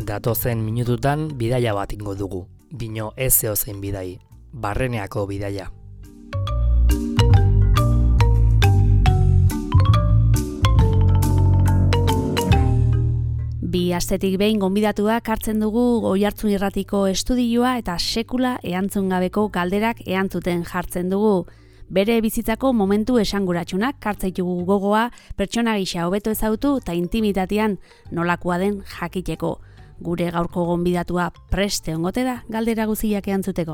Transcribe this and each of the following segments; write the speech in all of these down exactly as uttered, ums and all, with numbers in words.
Datozen minututan bidaia bat ingo dugu. Bino ez zeozein bidai. Barreneako bidaia. Bi astetik behin gonbidatuak hartzen dugu Oihartzun Irratiko estudioa eta sekula erantzun gabeko galderak erantzuten jartzen dugu. Bere bizitzako momentu esanguratsunak hartzaitugu gogoa, pertsona gisa hobeto ezagutu eta intimitatean nolakoa den jakiteko. Gure gaurko gonbidatua preste ongote da galdera guztiak erantzuteko.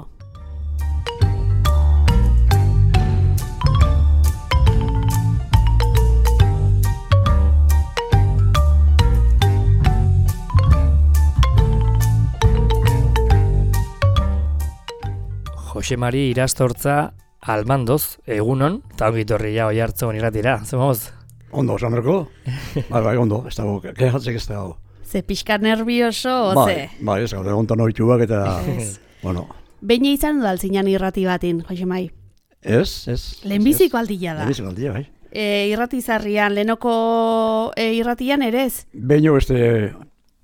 Jose Mari Irastortza Almandoz, egunon, eta ongi torria Oihartzun Irratira, zemoz? Ondo, Samerko? Bai, bai, ondo, ez dago, kehatzek ez dago. Ze pixka nervioso, oze? Bai, bai, ez gaur, egontan horituak eta, bueno. Behin izan dut altzinan irrati batin, Jose Mai? Ez, ez. Lehenbiziko aldia da. Lehenbiziko aldia, bai. E, irratizarrian, lehenoko e, irratian ere ez? Behin beste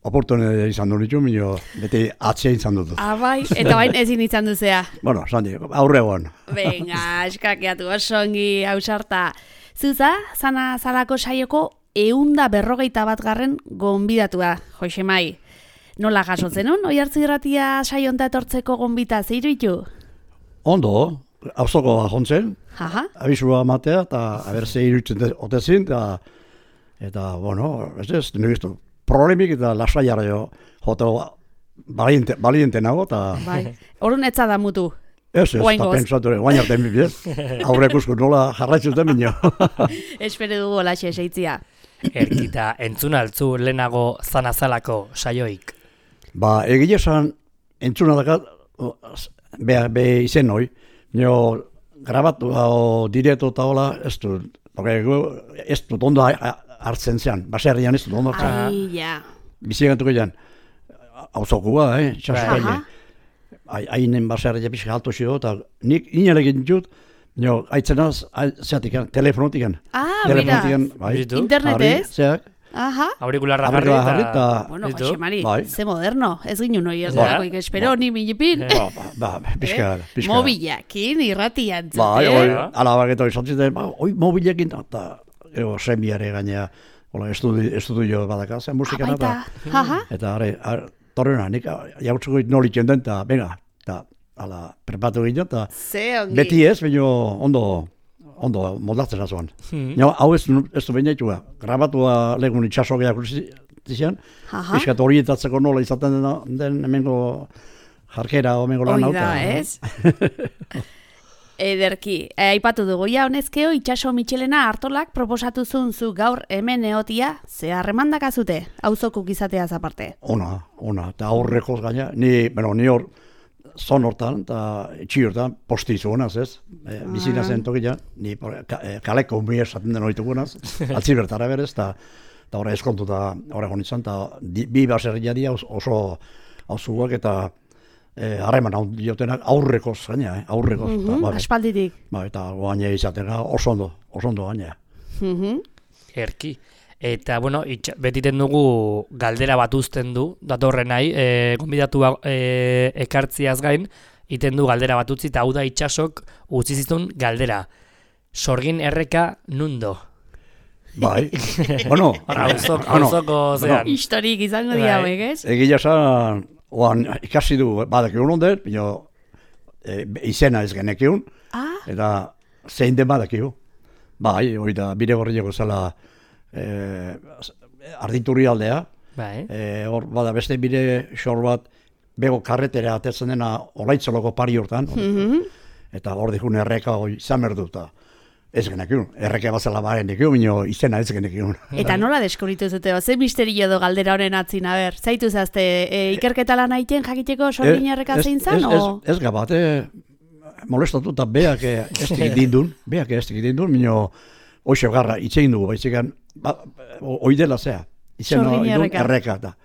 oportune izan du nitu, minio, beti atzea izan dut. Ah, bai, eta bain ezin izan duzea. Bueno, Sandi, aurre egon. Venga, eskakeatu osongi, hausarta. Zuza, zana zalako saioko eunda berrogeita bat garren gonbidatua, Jose Mai. Nola jasotzen hon, Oihartzun Irratia saionta etortzeko gonbita zeiruitu? Ondo, hauzoko jontzen, Aha. abisua matea, eta aber zeiruitzen otezin, eta, eta, bueno, ez ez, nire giztu, problemik eta lasaiara jo, jote baliente, baliente nago, eta... Bai, horren etza da mutu. Ez, ez, eta pentsatu, guain arte enbibien, aurre ikusko nola jarraitzuten minio. Espere dugu olaxe eseitzia. Erkita, entzun altzu lehenago zanazalako saioik. Ba, egile esan, entzuna dakat, be, be izen hoi, nio grabatu o direto eta hola, ez du, ez dut ondo hartzen zean, baserrian ez dut ondo hartzen. Ai, ja. Bizigantuko ean, hauzokua, eh, txasukaile. Hainen baserria pixka alto xio, eta nik inalegin dut, nio, aitzenaz, zeatik, telefonotik. Ah, mira, internetez? Zeak. Aha. Aurikularra jarri eta... Bueno, Jose Mari, ze moderno, ez ginen hori ez dagoik, espero, ni minipin. Ba, ba, pixka, pixka. Mobilakin, irratian zuten. Ba, oi, alabaketo izan zuten, oi, mobilekin, eta, ego, semiare gainea, estudio badaka, zen musikan, eta, eta, are, torreuna, nik jautzuko nolitzen den, eta, venga, eta, ala, prepatu ginen, eta, beti ez, baina ondo, ondo moldatzen azuan. Hmm. Hau ez, ez du bainaitua, grabatua legun itxasogeak zizian, piskat orientatzeko nola izaten den, den hemengo jarkera o hemengo lan auta. Oida, ez? Ederki, aipatu dugu, ja, honezkeo, itxaso Michelena Artolak proposatu zuen zu gaur hemen eotia, ze harremandak azute, auzokuk izateaz aparte. Ona, ona, eta aurrekoz gaina, ni, bueno, ni hor, zon hortan, eta etxi hortan, posti zuenaz, ez? E, bizina zen tokian, ni e, kaleko mi esaten den horitugunaz, altzi bertara berez, eta horre eskontu eta horre gonitzen, eta bi baserria dia oso hauzuak eta harreman hau diotenak aurrekoz gaina, eh? aurrekoz. Mm -hmm, ba, aspalditik. Ba, eta goaina izaten oso ondo, oso ondo gaina. Mm -hmm. Erki. Eta, bueno, itxa, betiten dugu galdera bat uzten du, datorren nahi, e, gonbidatua e, ekartziaz gain, iten du galdera bat utzi, eta hau da itxasok utzi zituen galdera. Sorgin erreka nundo. Bai, bueno. Hauzoko zean. Historik izango dira, begez? Egia esan, oan ikasi du badakiun ondet, pino e, izena ez genekiun, ah. eta zein den badakiu. Bai, hori da, bide gorriako zela, Eh, arditurri aldea, bai. eh, hor bada beste bide xor bat bego karretera atetzen dena Olaitzoloko pari hortan, mm -hmm. eta hor dikun erreka hori izan berdu, eta ez genekiun, erreka bazela baren dikiun, minio izena ez genekiun. Eta nola deskubritu zute, ze misterio edo galdera honen atzin, a ber, zaitu zazte, e, ikerketa lan haiten jakiteko sorgin erreka zein zan, o? Ez, ez, ez gabate, molestatu eta beak ez tegit dindun, beak ez tegit dindun, minio hoxe garra itxein dugu, baitzekan, ba, oidela zea, izena erreka, eta,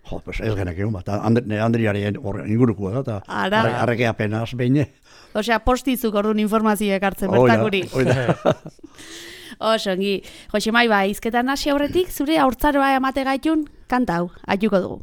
jo, pues ez genek egun bat, Andriari ingurukua da, eta arreke apenas behin. Osea, postizuk orduan informazioek hartzen bertakuri. Oida, Osongi, Jose Mai, ba, izketan hasi aurretik, zure haurtzaroa emate gaitun, kanta hau, aituko dugu.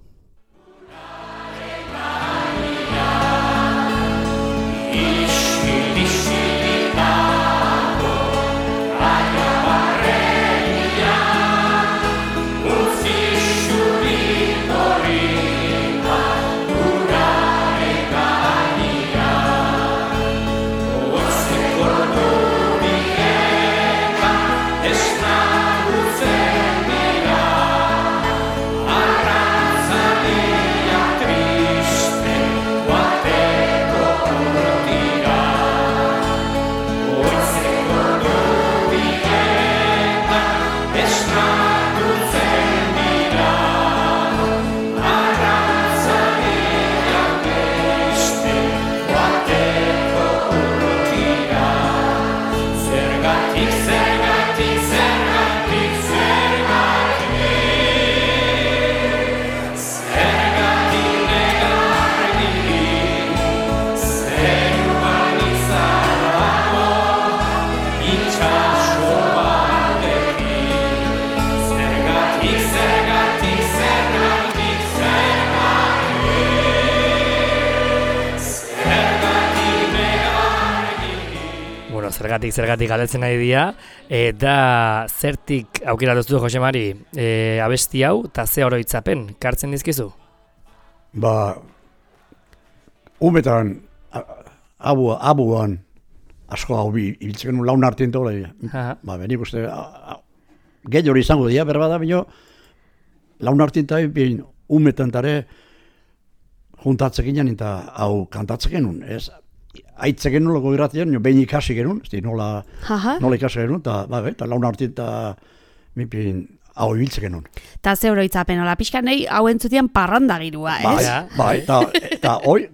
zergatik, zergatik galdetzen nahi dira, eta zertik aukera duztu Josemari e, abesti hau, eta ze oroitzapen, kartzen dizkizu? Ba, umetan, abu, abuan, asko hau bi, ibiltzen genuen laun hartien tola. Ba, benik uste, gehi hori izango dira, berbada, bino, laun hartien eta bin, umetan tare, juntatzek ginen eta hau kantatzek genuen, ez? Aitzek genuen loko irratien, behin ikasi genuen, ez nola, nola ikasi genuen, eta ba, eta laun hartien eta mipin, hau ibiltzen genuen. Ta ze oroitzapen, hola, pixka nahi, hau entzutien parranda girua, ez? Bai, bai, eta, eta hoi,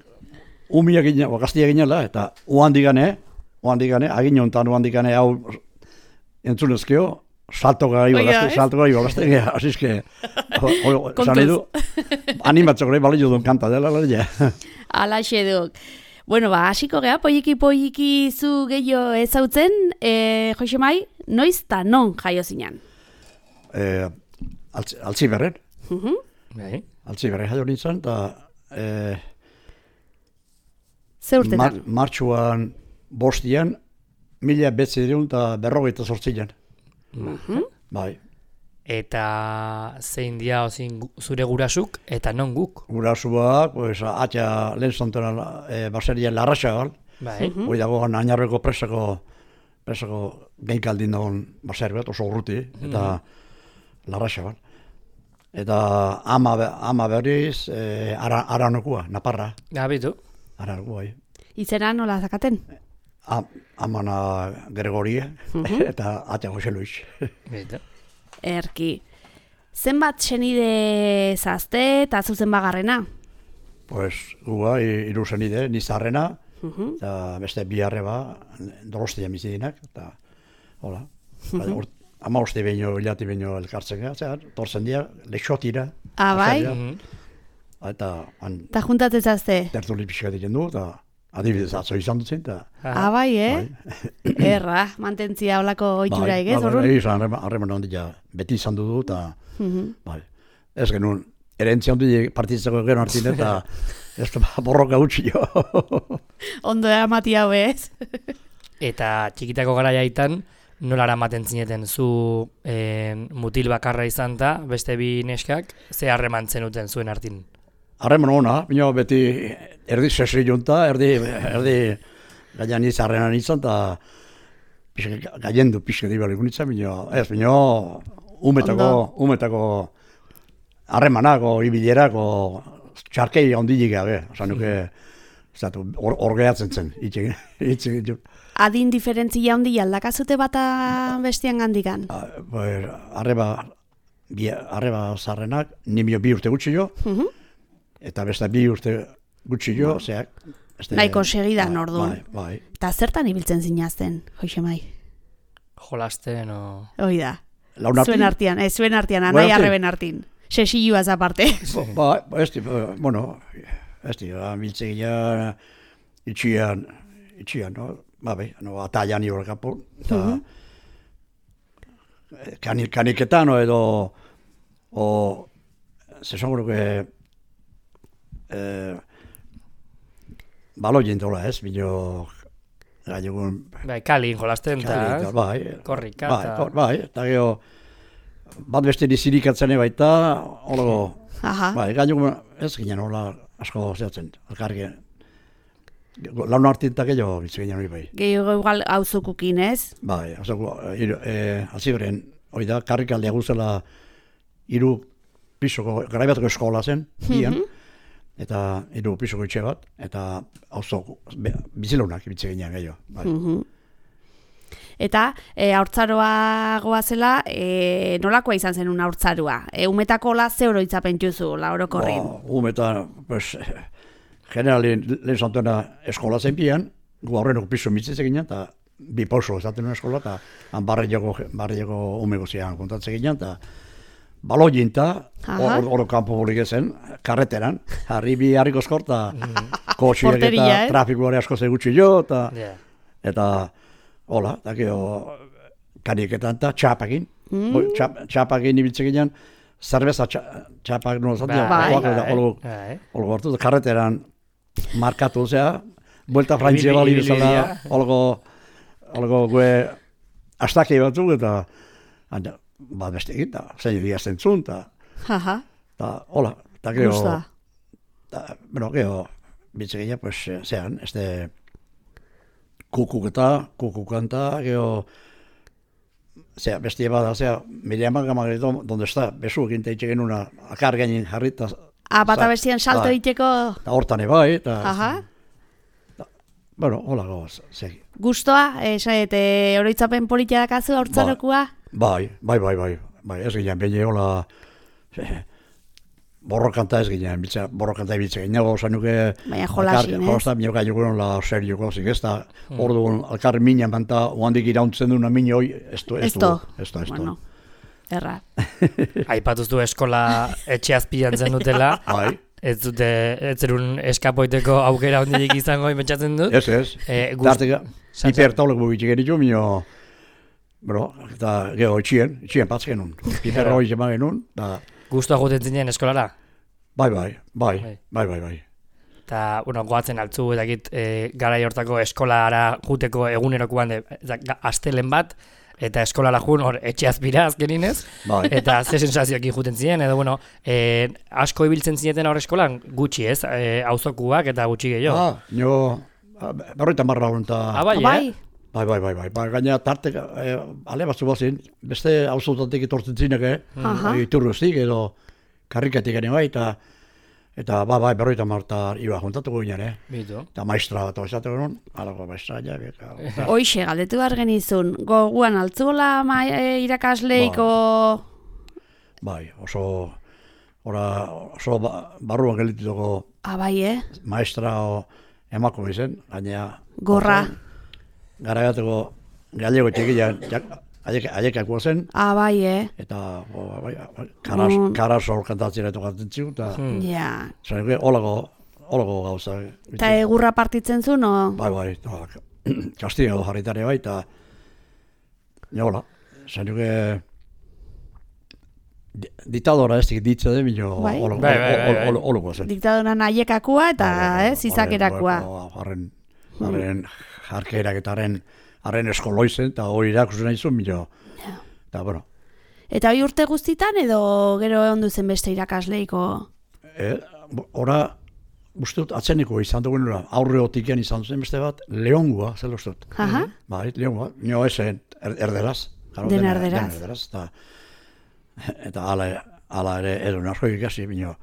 umia ginen, gaztia ginela, eta uhandigane, uhandigane, agin honetan uhandigane hau entzunezkeo, salto gai bagazte, salto gai bagazte, asizke, zan edu, animatzeko nahi balio duen kanta dela, lehia. Alaxe duk. Bueno, ba, hasiko geha, poiki poiki zu gehiago ezautzen, e, Josemai, noiz ta non jaio zinan? E, altzi, altzi berren. Uh -huh. Bai. Altzi berren jaio nintzen, eta e, ze urtetan? Mar, martxuan bostian, mila betzideun eta berrogeita sortzian. Uh-huh. Bai. Eta zein dia ozin zure gurasuk, eta non guk? Gurasua, pues, atxa lehen zontena e, baserien larraxagal. Bai. Uh-huh. Hoi dago añarreko presako, presako geinkaldin dagoen baser bat, oso urruti, eta uh-huh. larraxagal. Eta ama, ama berriz, e, ara, aranokua, Naparra. Gabitu. Aranokua, bai. Izena nola zakaten? A, amana Gregoria, Uh-huh. eta atxa Jose Luis. Bitu. Erki. Zenbat senide zazte eta zuzen bagarrena? Pues, gua, iru zenide, nizarrena, Uh-huh. eta beste bi arreba, Donostia bizidinak, eta, hola, uh-huh. ama uste behin hilati behin elkartzen gara, zera, torzen dira, lexotira. Ah, bai? Mhm. Eta, han, Ta juntatzen zazte? tertuli pixka diken du, eta adibidez atzo izan dutzen, eta, Ah, bai, eh? Erra, mantentzia olako oitura egez, bai, horrun? bai, izan, harreman handia beti izan du, eta, Uh-huh. bai, ez genuen, erentzia handia partitzeko gero hartin, eta, ez da borroka utzi jo. Ondo amati hau, ez? Eta txikitako garaiaitan, nola eramaten zineten zu eh, mutil bakarra izan da, beste bi neskak, ze harreman zenuten zuen hartin? Harreman ona, bino beti erdi sesri junta, erdi, erdi gaian izarrenan izan, eta gaien du pixka dibalik nintzen, bino, ez, bino, umetako, umetako harremanako, ibilerako, txarkei ondilik gabe, osan nuke, hor gehatzen zen, itxegin, itxegin. Adin diferentzia handi aldakazute bata bestian gandikan? Arreba, arreba zarrenak, nimio bi urte gutxi jo, Uh-huh. eta beste bi urte gutxi jo, zeak. Nahiko segidan orduan. Bai, bai. Eta zertan ibiltzen zinazten, Josemai? Jolasten o... Hoi da. Laun artin? Zuen artian, ez zuen artian, Gure anai artin? arreben artin. Sesilluaz aparte. Ba, ba, ez di, bueno, ez di, biltze gila, itxian, itxian, no? Ba, be, no, ataian hori kapo, eta kanik, kaniketan, o, edo, o, zesongo nuke, eh, balo jentola ez, bino, gailegun, Bai, kalin jolasten, Kalin, eta bai, korrika, bai, eta... kor- bai, eta gero, bat beste nizirikatzen baita, holo, Aha. bai, gailegun, ez ginen hola asko zehatzen, elkarri, laun hartin eta gehiago biltzen ginen hori bai. Gehiago igual auzukukin, ez? Bai, azoko, e, aziberen, hori da, karrikaldea guzela hiru pisoko, garaibateko eskola zen, bian, eta hiru pisoko etxe bat, eta auzo bizilunak biltzen ginen gehiago, bai. Mhm. Eta e, haurtzaroa goazela, e, nolakoa izan zen un haurtzaroa? E, umetako la ze oroitzapen juzu, la orokorrin? Ba, umeta, pues, generalin lehen zantuena eskola zen bian, gu aurrenoko piso mitzitzen ginen, eta bi pauso esaten nuen eskola, eta han barriako, barriako umeko zian kontatzen ginen, eta balo jinta, Aha. hor hor kanpo bolik ezen, karreteran, harri bi harriko eskor, eta kotxiak Porteria, eta eh? trafikoare asko zegutxi jo, eta, Yeah. eta, hola, eta gero, kaniketan eta txapakin, Mm. Bo, txap, txapakin ibiltzen ginen, zerbeza txa- txapak nuen zatea, Bai, bai. Olgo hartu, karreteran markatu, zera, buelta frantzia bali Ibili- bezala, ibilia. olgo holako gue astaki batzuk, eta bat beste egin, eta zein egia zentzun, eta hola, eta gero, bueno, gero, bitzegina, pues, zean, este, kukuketa, kukukanta, gero, zera, bestia bada, zera, Miriam Gamagrito, donde está, besu egin teitxe genuna, akar gainin jarri, eta... Ah, bata bestian salto egiteko... Eta hortan ebai, eta... Bueno, hola goaz, segi. Gustoa, esaet, oroitzapen politia dakazu, hortzarokua? Bai, bai, bai, bai, bai, ez ginen, bine hola... Borrokanta ez ginen, borrokanta ibiltzen ginen, oza nuke... Baina jolasin, ez? Jolazta, minok aiuguron la serioko, zik ez da, orduan, alkarri minan banta, oandik irauntzen duna mini hoi, ez du, ez du, ez du, ez du. Bueno, erra. Aipatuztu eskola etxe azpian zen dutela, ez dute, ez zerun eskapoiteko aukera hondirik izango, imetxatzen dut? Ez, ez, darteka, hipertaulek bugitzik genitu, minio, bro, eta geho, itxien, itxien patz genuen, hiper hori zema genuen, da... Guztua juten zinen eskolara? Bai, bai, bai, bai, bai, bai. Eta, bueno, goatzen altzu, edakit, e, garai hortako eskolara juteko egunerokoan de, astelen bat, eta eskolara jun, hor, etxe azpira azkeninez, bai. Eta ze sensazioak juten ziren, edo, bueno, e, asko ibiltzen zineten hor eskolan, gutxi ez, e, auzokuak eta gutxi gehiago. Ah, nio, berroita marra hon, eta... Ah, bai, bai. Eh? Bai, bai, bai, bai, bai, gaina tartek, eh, ale batzu bazin, beste auzotatik etortzen zinek, eh? Aha. Iturruztik edo karrikatik ere bai, eta eta ba, bai, berroita marta iba juntatuko ginen, eh? Bitu. Eta maestra bat oizateko non, alako maestra, ja, eta... Hoixe, galdetu behar genizun, goguan altzuela e, irakasleiko... Bai, oso, ora, oso ba, barruan gelitutako... Ah, bai, eh? Maestra o emako izen, gaina... Gorra. Gara gateko galego txikian, aiekako zen. Ah, bai, eh? Eta, bai, karas, mm. karas hor kantatzera tokatzen ziu, eta... Hmm. Ja. Zan, olago, olago gauza. Eta egurra partitzen zuen, o? Bai, bai, eta kastiga do jarritare bai, eta... Nola, zan, diktadora ez dik ditza de, mino, olago zen. Diktadora aiekakua eta, ez, izakerakoa. Harren, harren, jarkerak eta haren, haren eskoloizen, eta hori irakusen nahi zuen, milo. Eta, bueno. Eta hori urte guztitan, edo gero ondu zen beste irakasleiko? E, ora, uste dut, atzeniko izan dugu nura, aurre otikian izan zen beste bat, leongua, zel uste dut. Aha. Bai, leongua, nio esen, er, erderaz. Claro, den erderaz. Den erderaz, eta, eta ala, ala ere, edo narko ikasi, mino.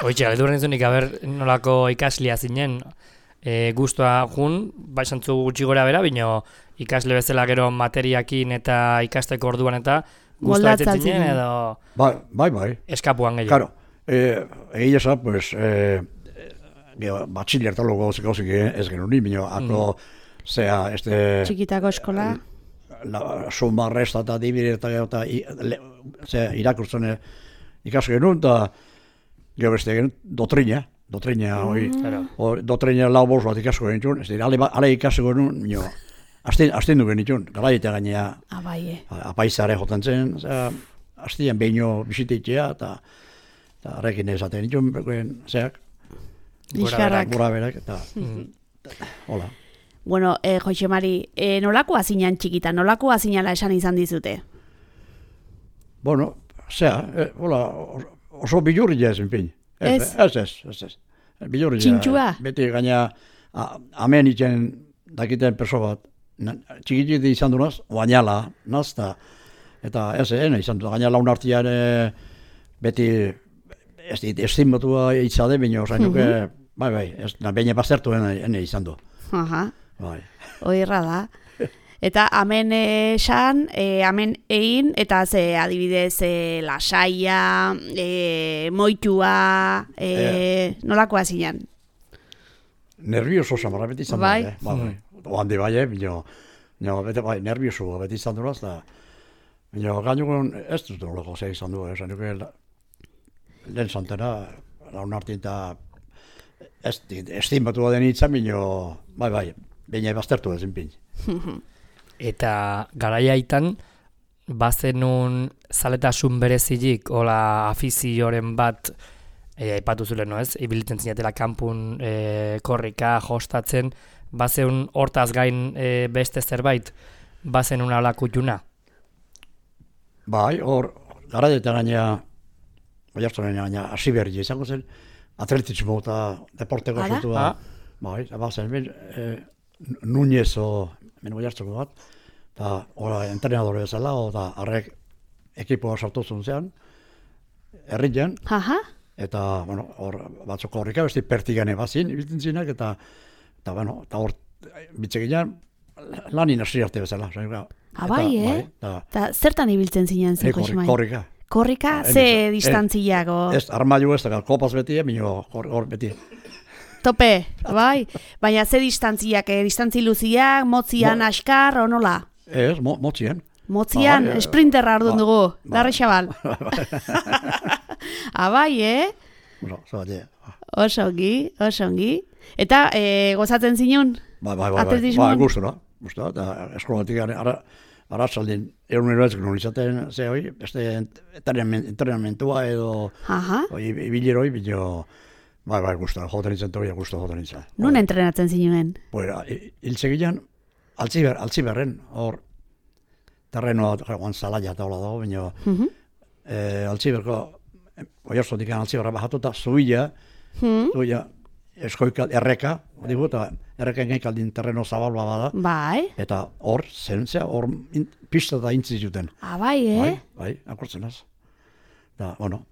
Oitxe, galdu horren zunik, haber nolako ikaslia zinen, e, guztua jun, bai santzu gutxi gora bera, bino ikasle bezala gero materiakin eta ikasteko orduan eta guztua etzen zinen, edo... Bai, bai, bai. Eskapuan gehiago. Claro, egia eza, pues, e, batxiller talo gauzik gauzik ez genuen ni, bino, ako, mm. zea, este... Txikitako eskola? La, suma, resta eta dibire eta, eta, zea, irakurtzen ikasko genuen, eta... Gero beste egin, dotrina, dotrina, hori, mm. dotrina lau bost bat ikasko genitxun, ez dira, ale, ale ikasko genuen, nio, azten du genitxun, gara eta gainea, ah, bai, eh. apaizare jotan zen, aztean behino bisiteitzea, eta arrekin ezaten genitxun, zeak, gora berak, eta, hola. Bueno, eh, Joxe Mari, eh, nolakoa zinan txikita, nolakoa zinala esan izan dizute? Bueno, zea, eh, hola, oso bilurria ezen pin. Ez? Ez, ez, ez, ez. Bilurria. Txintxua? Beti gaina, amen itzen dakiten perso bat, txikitzik izan du naz, oainala, nazta, eta ez, ene izan du, gaina laun artian beti, ez dit, estimbatua itzade, bino, zain duke, bai, bai, ez, baina bazertu ene izan du. Aha, bai. Oirra da. Eta amen esan, e, amen egin, eta ze adibidez e, lasaia, e, moitua, e, e, nolakoa zinan? Nervioso samarra beti izan bai? Da, eh? Bai, bai. Oande bai, eh? Bino, no, beti bai, nervioso beti izan duraz, da, bino, gainukon ez dut doloko ze izan du, esan duke, lehen zantera, laun hartin eta estimatu baden itzan, bino, bai, bai, baina baztertu ezin pin. Eta garaiaitan, bazenun zaletasun berezilik, hola afizioren bat e, aipatu zule, no ez, ibilitzen zinatela kanpun e, korrika, jostatzen, bazeun hortaz gain e, beste zerbait, bazen una lakutuna? Bai, hor, gara eta gaina, oiartzen gaina, hasi berri izango zen, atletismo eta deporteko zutua, bai, bazen, ben, e, Núñez o, men oiartzeko bat, eta ora entrenadore bezala, eta harrek ekipoa sartu zuntzean, herrian, eta, bueno, hor, batzuk horrika, besti pertigane bazin, ibiltzen zinak, eta, eta, bueno, eta hor, bitzeginan, lanin hasi arte bezala. Ah, bai, eh? Eta zertan ibiltzen zinen zen, Josmai? Korrika. Korrika, ze distantziago? Ez, armailu ez, da, kopaz beti, minio, hor beti. Tope, bai? Baina ze distantziak, eh? Distantzi luziak, motzian, askar, o nola? Ez, mo, motzien. Motzian, ah, sprinterra ardun ba, dugu, ba, darre xabal. Abai, eh? Bueno, zabate. Osongi, osongi. Eta, eh, gozatzen zinun? Bai, bai, bai, bai, bai, gustura, gustura, eta eskolatik ara, aratzaldin, egunero ez gero izaten, ze hoi, beste entrenamentua edo, ibiliroi, bilo, bai, bai, gustura, joten nintzen tokia, gustura joten nintzen. Nun entrenatzen zinuen? Bueno, hiltzegilean, altziber, altziberren, hor, terrenoa, joan zalaia eta hola dago, baina, altziberko, oiarzotik altziberra bajatuta, zuila, zuila, eskoikal, erreka, digu, eta erreka engekaldin terreno zabalba bada. Bai. Eta hor, zentzea, hor pista da intzi zuten. Ah, bai, eh? Bai, bai, akortzen az. Da, bueno.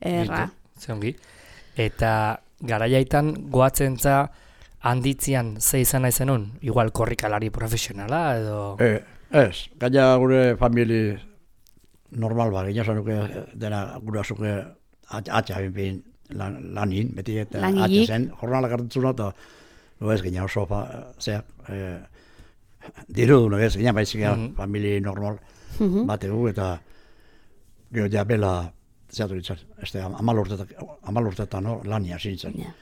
Erra. Zeongi. Eta garaiaitan goatzen za handitzian ze izan nahi zenun? Igual korrikalari profesionala edo... E, ez, gaina gure famili normal ba, gina zanuke dena gure azuke atxa binpin lan, lanin, beti eta atxa zen, jornalak hartutzuna eta no ez gina oso fa, zeak, e, diru du, no ez gina baizik mm -hmm. famili normal mm -hmm. bategu eta gero ja bela zeatu ditzat, este amal urtetan no, lania zintzen. Yeah.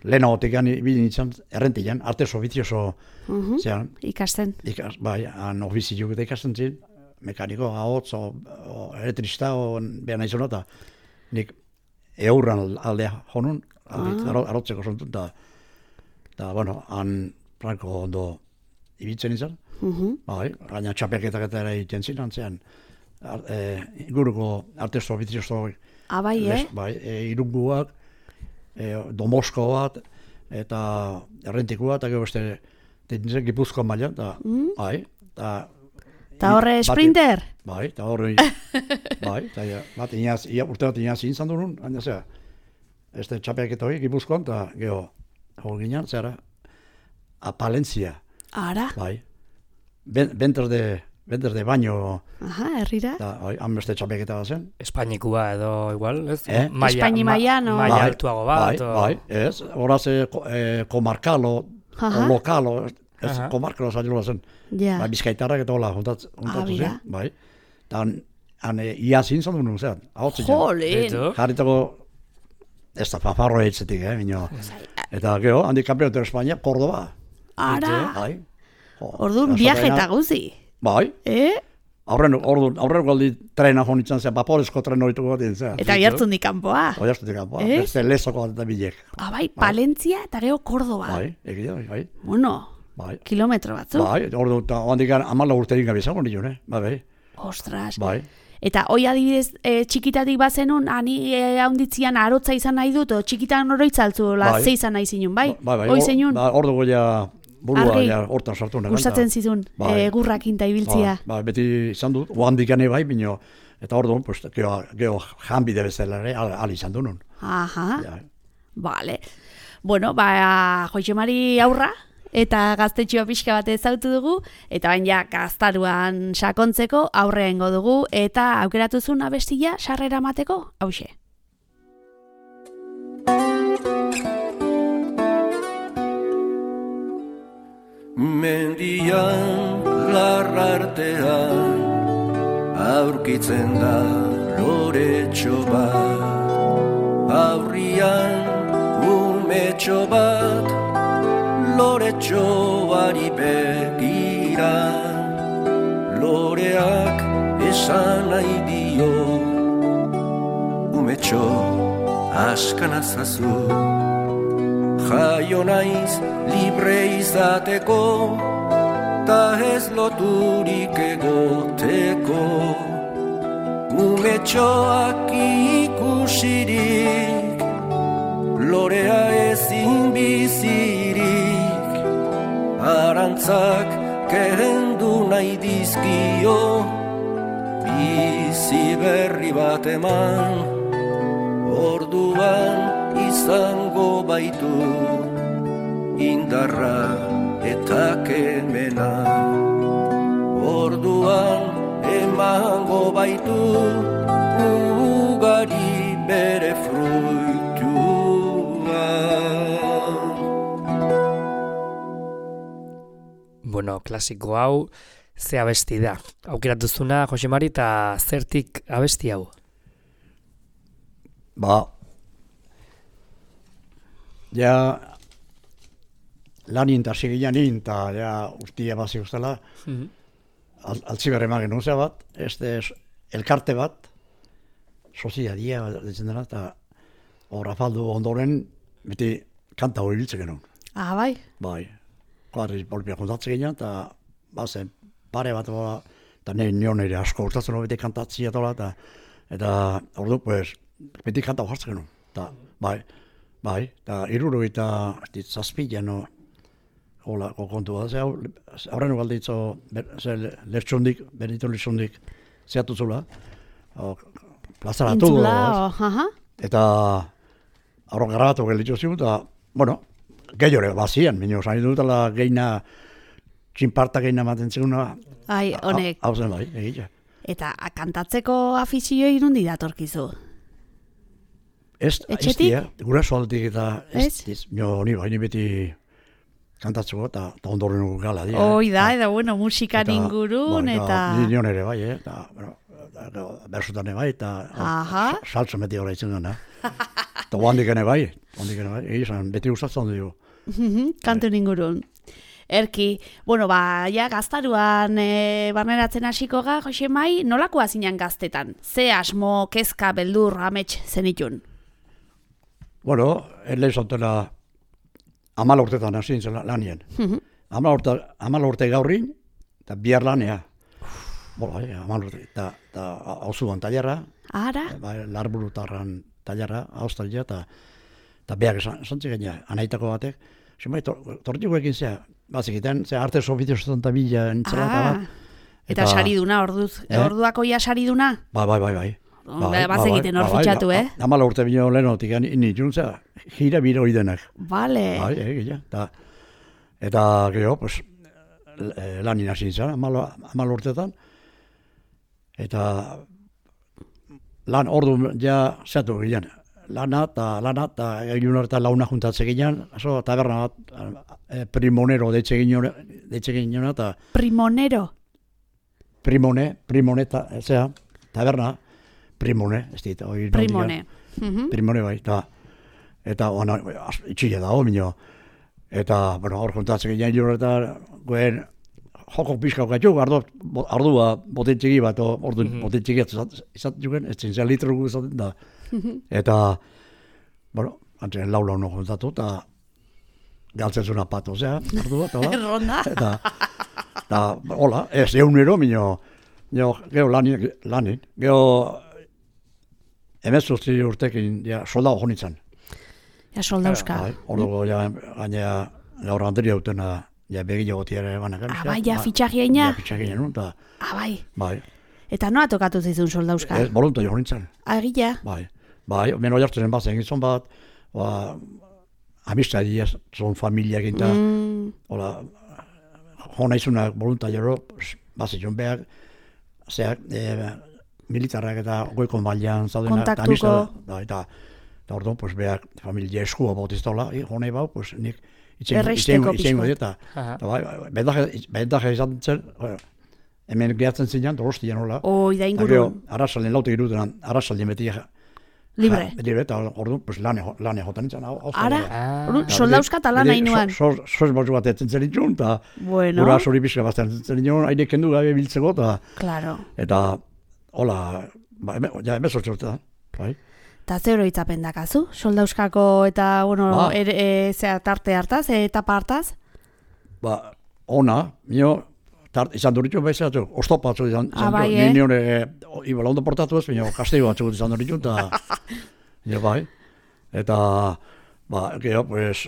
Lehenagotik ibili nintzen, errentian, artes ofizioso mm -hmm. zean. Ikasten. Ikas, bai, han ofizioak eta ikasten zin, mekaniko, ahotz, o, o elektrista, o behar nahi zona, eta nik eurran aldea honun, ah. arotzeko zontun, eta, eta, bueno, han franko ondo ibiltzen izan, mm -hmm. bai, gaina txapeketak eta ere egiten zin, antzean, e, inguruko artes ofizioso, ah, bai, les, eh? Bai, e, irunguak, E, Domosko bat, eta errentikoa, eta gero beste nintzen Gipuzkoan mailan, eta mm. bai, eta... Eta horre sprinter? Bai, eta horre, bai, eta bat inaz, ia, urte bat inaz inzan duen, baina zera, ez da txapeak eta hori Gipuzkoan, eta gero, hor ginen, zera, a Palentzia. Ara? Bai, ben, benters de... Bender de baino... Aha, herrira. Han beste txapeketa bat zen. Espainikua edo igual, ez? Eh? Maia, Espaini maia, no? Maia altuago bat. Bai, o... bai, ez. Horaz, eh, komarkalo, o lokalo, ez, Aha. komarkalo zailua zen. Ja. Bai, bizkaitarrak eta hola, juntatu ah, zen. Bai. Eta han, han ia zintzen duen, zean. Jolin! Jarritako, ez da fanfarro eitzetik, eh, minio. Eta gero, handik kampeonato Espainia, Cordoba. Ara! Bai. Orduan, viaje eta guzi. Bai. Eh? Aurren, orduan, aurren galdi trena jonitzen zen, vaporezko tren horituko bat zen. Eta oiartzun di kanpoa. Oiartzun di kanpoa, eh? Beste lezoko bat eta bilek. Ah, bai, Palentzia eta gero Cordoba. Bai, egia, bai. Bueno, bai. Kilometro batzu. Bai, orduan, eta handik amala urterik gabizango nion, eh? Bai, bai. Ostras. Bai. Eta hoi adibidez, e, txikitatik bazenun, ani e, haunditzian arotza izan nahi dut, o txikitan oroitzaltzu, la bai. Ze izan nahi zinun, bai? Bai, bai, hoi zinun? Ba, ordu goia... Burua, ja, hortan sartu nahi. Gustatzen zizun, bai. e, gurrak inta ibiltzia. Ba, ba, beti izan dut, oandik ane bai, bino, eta hor duen, pues, geho, geho janbide bezala ere, al, al izan du nun. Aha, ja. Vale. Bueno, ba, Joxemari aurra, eta gaztetxoa pixka bat ezautu dugu, eta bain ja, gaztaruan sakontzeko aurrea ingo dugu, eta aukeratuzun abestia sarrera mateko, hauxe. Mendian larrartean aurkitzen da loretxo bat, aurrian umetxo bat loretxoari begira, loreak esan nahi dio umetxo askanazazu. Jaio naiz libre izateko, ta ez loturik egoteko. Umetxoak ikusirik, lorea ezin bizirik, arantzak kendu nahi dizkio, bizi berri bat eman, orduan izango baitu, indarra eta kemena. Orduan emango baitu, ugari bere fruitua. Bueno, klasiko hau, ze abesti da. Aukeratuzuna, Jose Mari, eta zertik abesti hau? Ba, ja, lanin eta sigilan eta ja, ustia bazi guztela, mm-hmm. Al, altziberre magen nuzea bat, este elkarte bat, soziadia ditzen dela, eta horra faldu ondoren, beti kanta hori biltzen genuen. Ah, bai? Bai, kuadriz bolpia kontatzen ginen, eta bazen pare bat, eta nahi nion ere asko urtatzen hori beti kantatzia tola, eta eta ordu, pues, beti kanta hori hartzen genuen. Ta, bai, bai, eta iruro eta zazpila, no, hola, kontu bat, ze horren galditzo, ze lertxundik, Benito lertxundik, zehatu zula, plazaratu. Intzula, aha. Eta horren grabatu gelitzu zigu, eta, bueno, gehiore, bazian, minio, zain dutela geina, txinparta geina maten ziguna. Ai, honek. Hau zen bai, egitea. Eta kantatzeko afizioi nundi datorkizu? Ez, etxetik? Ez, guraso aldetik eta ez, ez, nio, ni bai, ni beti kantatzeko eta ondorren gala dira. Hoi da, eta bueno, musikan ingurun, eta... Ni nion ere bai, eta, bueno, bersutan bai, eta saltzo meti horra itzen gana. Eta guandik ene bai, guandik ene bai, egizan, beti gustatzen dugu. Kantu ingurun. Erki, bueno, ba, ja, gaztaruan e, barneratzen hasiko ga, Jose Mai, nolakoa zinan gaztetan? Ze asmo, kezka, beldur, amets zenitun? Bueno, ele zontela amala urtetan hasi nintzen lanien. Amala urte, amala urte gaurrin, eta bihar lanea. Bola, eh, amala urte, eta hauzuan tailerra. Ara? Ba, larburutarran tailerra, australia, eta eta behar zantzik gaina, anaitako batek. Zumai, tortiko ekin zea, bazikiten, zea arte sofitio zotan eta bila nintzela eta bat. Eta sariduna, orduz, orduako ia sariduna? Bai, bai, bai, bai. Bazekiten hor fitxatu, eh? Amala urte bino lehenotik, nintzun zea, gira biro idenak. Bale. Bai, egia, eta eta geho, pues, lanin hasi nintzen, amala urtetan. Eta lan ordu ja zeatu ginen. Lana eta lana eta egin eta launa juntatze ginen, oso taberna bat, primonero deitze ginen eta... Primonero? Primone, primone, eta, zera, taberna, primone, ez dit, hori... Primone. Primone bai, eta, eta, ona, itxile da, minio, eta, bueno, hor juntatze ginen, egin eta, goen, joko pixka gaitu, ardua botentxegi bat, ordu botentxegi izat juken, ez zintzen litro gu izaten da. Eta, bueno, antzen lau lau no juntatu, eta galtzen zuna pato, zea, ardua, eta hola. Erronda. Eta, eta, hola, ez eunero, minio, geho lanin, lanin, geho emezuzti urtekin, ja, soldau jonitzen. Ja, soldauzka. Orduko, ja, gainea, gaur handeria utena, ja, begile gotiare banak. Ah, bai, ja, fitxagiaina? Ja, fitxagiaina, eta... Ah, bai. Bai. Eta noa tokatu zizun soldauzka? Ez, voluntario nintzen. Agila? Bai. Bai, meno jartzen bazen gizon bat, ba, amistadia, zon familiak eta, hola, jona izunak voluntario, bazen behar, zeak, militarrak eta goiko mailan zaudenak. Kontaktuko. Da, eta, eta orduan, pues, behar, familia eskua bautiztola, jonei bau, pues, nik, erresteko pixko. Eta, bendaje izan zen, hemen gehatzen zinean, dorostian hola. Oi, da ingurun. Arrasaldien laute girutenan, arrasaldien beti libre. Libre, eta orduan, pues, lane jotan nintzen. Ara, soldauzka eta lan hain nuan. Soz batzu bat etzen zen ditun, eta bueno. Gura sori pixka bazten zen ditun, haide kendu gabe biltzeko, eta... Claro. Eta, hola, ja, emezortze urte da, bai. Eta zer oroitzapen dakazu? Soldauskako eta, bueno, Ba. er, e, zera, tarte hartaz, e, etapa hartaz? Ba, ona, nio, tart, izan duritxu bezatu, oztopa batzu izan, Ah, izan bai, du, eh? ni niore, ibala ondo portatu ez, nio, kastego batzu izan duritxu, eta, nio, bai, eta, ba, gero, pues,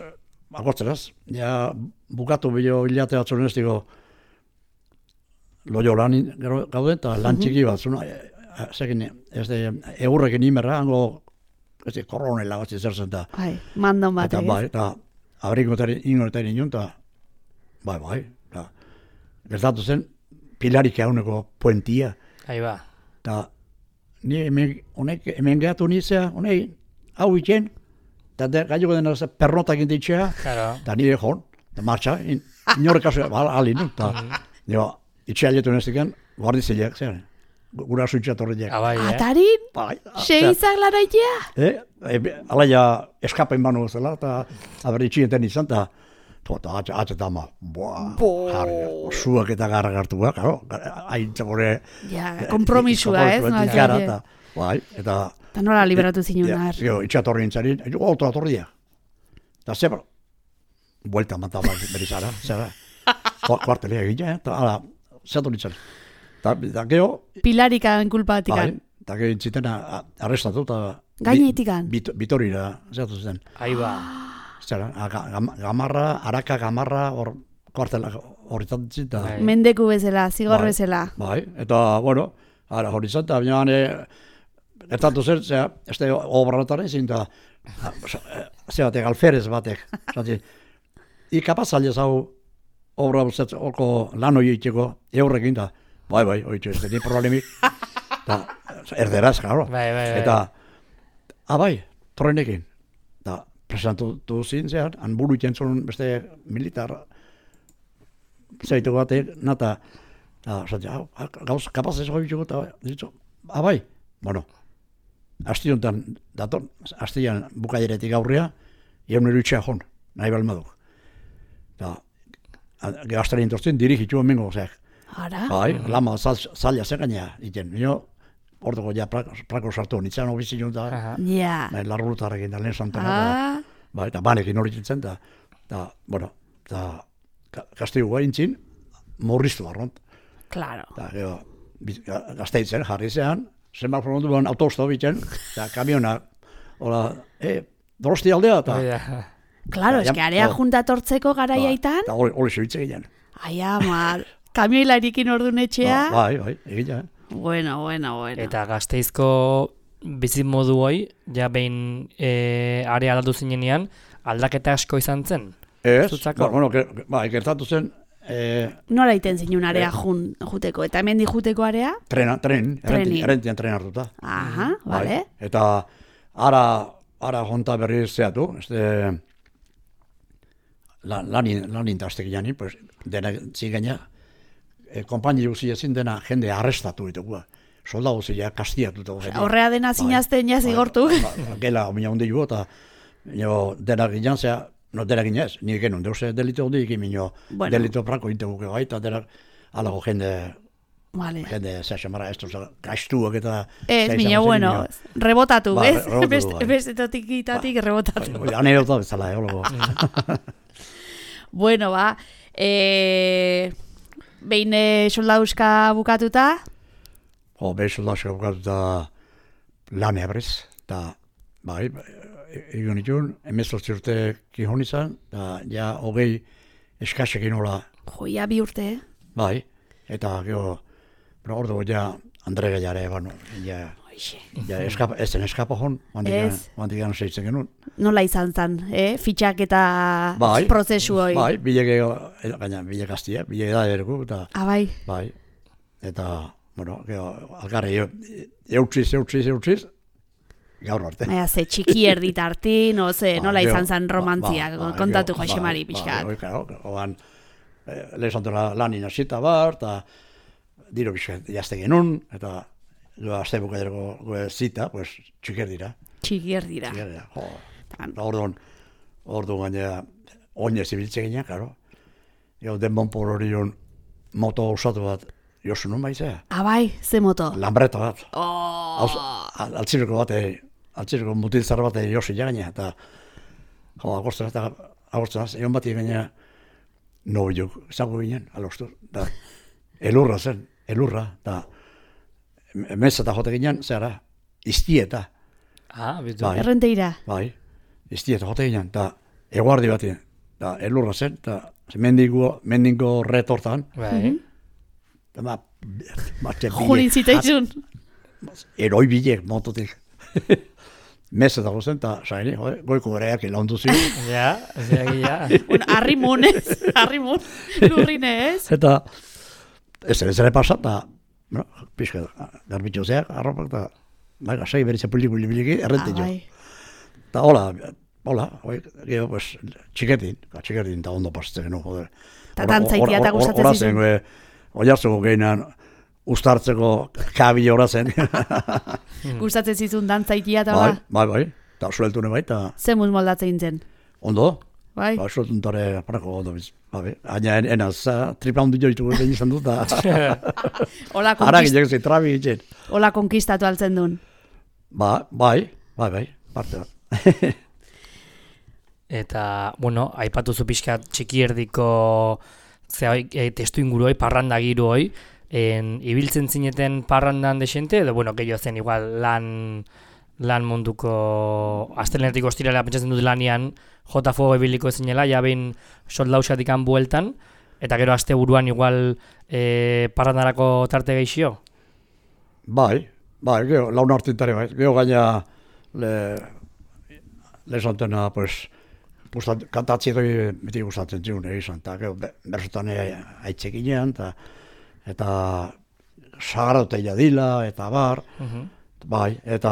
agortzeraz, ja, bukatu bilo hilate batzun ez, digo, loio lan gero gauden, eta lan txiki bat, zuna, zekin, ez de, egurrekin imerra, hango, ez de, koronela bat zer zen, eta, Bai, mandon bat, eta, bai, eta, abrikotari, ingotari nion, eta, bai, bai, eta, gertatu zen, pilarik hauneko puentia, Ahí ba. eta, ni hemen, honek, hemen gehatu nizea, honei, hau itxen, eta de, gaioko dena ze pernotak intitxea, Claro. eta nire joan, eta martxa, in, inorek kasu, alin, eta, nire, itxea letu neztiken, guardizileak, zer, gura suitxa torriak. Ah, bai, eh? Atarin? Bai, Segizak laraitea? Eh, e, alaia eskapen banu zela, eta aber itxienten izan, eta eta atxe, atxe eta ama, boa, Bo. jarri, zuak eta garra gartua, karo, haintza bore... Ja, kompromisua, ez? No, Gara, eta, bai, eta... Eta nola liberatu zinun, Ja, ar? jo, itxatorri intzarin, jo, otra torria. Eta zebra, buelta mataba berizara, zera, kuartelea egina, eta ala, zatu nintzen. Eta, eta geho, Pilarikan bai, kulpatikan. eta geho intziten arrestatu, eta... Gainetikan? Bit, bitorira, zatu zen. Ahí ba. Zera, ga- gam- gamarra, araka gamarra, hor, kuartela horretan zintzen, eta... Bai. Mendeku bezala, zigor Bai. bezala. Bai, eta, bueno, ara hori izan, eta binean, e, gertatu zer, zera, ez da obranataren ezin, eta, ze batek, alferez batek, zati, ikapaz aldez hau, obra buzet, orko lan hori itxeko, eurrekin, eta, bai, bai, hori ez da, ni problemik, eta, erderaz, claro, Bai, bai, bai. eta, abai, torrenekin, eta, presentu zin, zean, han buru ikentzun beste militar, zeitu batek, nata, eta, zati, hau, gauz, kapaz ez hori itxeko, eta, ditzu, abai, bueno, asti honetan, dator, astian bukaileretik aurrea, egun erutxea jon, nahi balmaduk. Eta, gero astaren intortzen, dirigitu emengo, zeak. Ara? Bai, lama zaila zegaina, iten, nio, orduko ja prako, prako sartu, nintzen ofizi jonta, Aha. Ja. nahi larrulutarekin da lehen santana, Ah, bai, eta banekin hori zintzen, eta, eta, bueno, eta, kastigu gaintzin, morriztu barront. claro. Eta, gero, bi- ga- gazteitzen, jarri zean, zenbat frontuan autosto bitzen, eta kamiona, hola, e, Donosti aldea, eta... Hori da. Claro, Ja, eske area oh. juntatortzeko garaiaitan. Eta hori hori zebitze ginen. Ai, ama, kamioilarikin ordun etxea. Bai, bai, egina. Bueno, bueno, bueno. Eta Gazteizko bizimodu hoi, ja behin e, area aldatu zinenean, aldaketa asko izan zen. Ez, Zutzako? ba, bueno, ge- bai, gertatu zen, eh, Nola iten zinun area Eh. jun, juteko? Eta hemen juteko area? trena, tren, Trenin. errenti- errentian tren hartuta. Aha, Bai, vale. Eta ara, ara jonta berriz zeatu, este, lan, lanin, lanin tastek jani, pues, dena zigaina, e, konpaini guzti ezin dena jende arrestatu ditugu. Soldadu zila kastiatutu. Horrea dena zinazten ja zigortu. Ba, gela, omina hundi jo, eta jo, dena ginen zea, no dena ginez, nire genuen, deuse delito hundi ikin minio, Bueno. delito prako integuke gai, eta dena, alago jende, Vale. jende, zea xamara, estos gaiztuak eta... Ez, zea mina, izango zen, bueno, minio. rebotatu, Ba, ez? re- rebotatu, Beste, bai. beste totikitatik rebotatu. Bai, anekdota bezala, eh, hologo. Bueno, ba, e, behin e, soldauska bukatuta, Jo, behi soldazio bukatuta lanea berriz, eta, bai, egon itun, emezortzi urte kihon izan, eta ja, hogei eskasekin hola, joia bi urte, eh? bai, eta gero, pero ordu ja, Andre Gaiare, bueno, ja, Hoixe. ja, eskapa, ez zen eskapa hon, handikan, Ez. handikan seitzen genuen. Nola izan zen, eh? Fitxak eta Bai, prozesu hoi. Bai, bilege, gaina, bilege gaztia, bilege da ergu, eta, Ah, bai. bai, eta, bueno, gero, algarri, eutziz, eutziz, eutziz, gaur arte. Baina, ze txiki erdit hartin, o ze, Ba, nola gero, izan zen romantzia, ba, ba, kontatu gero, Jose ba, Mari ba, pixkat. bai, claro, oan, eh, lehizantela lanin hasita bar, eta diro pixkat jazte genuen, eta jo, azte bukaderako goe zita, pues, txiker dira. Txiki erdira. Txiker dira, jo. Tan. Eta orduan, orduan gainera, oinez ibiltze ginen, karo. Gero, denbon por hori hon, moto osatu bat, josu nun baizea. Ah, bai, ze moto. Lambreta bat. Oh, Hauz, al- altzireko bat, eh, atzirko mutil zar bat josi gaina, eta jo, agostan eta agostan, egon bat gaina nobiok, zango ginen, alostu, da, elurra zen, elurra, da, meza eta jote ginen, zera, iztieta. Ah, bitu. Bai, Errenteira. bai, iztieta jote ginen, da, eguardi bat, da, elurra zen, da, mendingo, mendingo retortan, Bai. da, ma, mate Jurin zitaizun. eroi bilek, mototik. Meza dago zen, eta saini, goiko goreak ilaundu ziren. Ja, ja, ja. Bueno, arrimun, ez? Arrimun, lurrine, ez? Eta, ez ere zere pasat, eta, bueno, pixka, garbitxo zeak, arropak, eta, bai, gasai beritze puli-puli-puli, errente jo. Eta, hola, hola, hoi, gero, pues, txiketin, txiketin, eta ondo pasatzen genuen, joder. Ta dantzaitia eta gustatzen zizun. Oiartzeko gehinan, ustartzeko kabi hora zen. Gustatzen zizun dantzaitia eta Bai, hola. bai, bai, eta sueltune bai, eta Zemuz moldatzen zen. ondo, Bai. ba, sueltuntare aparako ondo biz. Bai, aina enaz, tripla hundi joitu egin izan dut, eta Hola, ara konkist, gilek zi, trabi egin. hola konkistatu altzen duen. Ba, bai, bai, bai, parte bat. Eta, bueno, aipatu zu pixka txiki erdiko zea, e, testu inguru hoi, parranda giru hoi, en, ibiltzen zineten parrandan desente, edo, bueno, gehiago zen igual lan, lan munduko astelenetik ostirala pentsatzen dut lanian jota fuego ibiliko zinela, ja behin soldausatik han bueltan, eta gero aste buruan igual e, parrandarako tarte geixio? Bai, bai, gero, laun hartintare bai, gero gaina le, lezantena, pues, gustat, kantatzi doi beti gustatzen ziun egizan, eta gero, berzotan aitzekinean, eta eta sagarauteia dila, eta bar, Mhm. bai, eta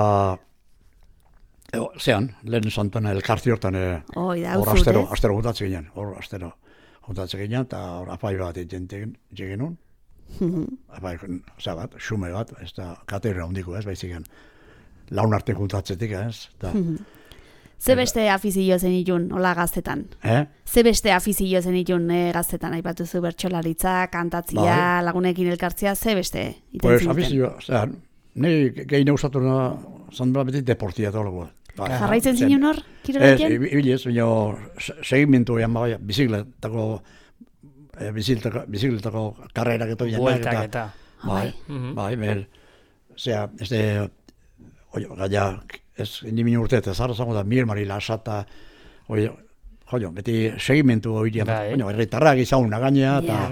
e, zean, lehen santana elkarti hortan e, Oi, da, hor uzut, astero, ez? astero gutatzen ginen, hor astero gutatzen ginen, eta hor apai bat egiten genuen, apai, osea bat, xume bat, ez da, katerra hondiko ez, baizik laun arte juntatzetik ez, eta, Ze beste afizio zen itun, hola gaztetan? eh? Ze beste afizio zen itun eh, gaztetan, aipatu zu bertsolaritza, kantatzia, Bai. lagunekin elkartzia, ze beste? iten Pues, zineten? afizio, osea, nahi gehi neusatu na, zandela beti deportia eta holokoa. Bai, Jarraitzen zen- zinun hor, Ez, kirolaiten? ibili ez, baina se- segimentu ean bai, bizikletako, e, bizikletako, bizikletako karrerak eto bilanak, Bueltak eta. bai, Mhm. bai, bel, osea, ez de, oi, gaia, ez, nimi urte, eta zara zango da, Mir Mari Lasata, oi, joio, beti segimentu hori, Bai. baina, herritarrak izauna gaina, eta, Ja.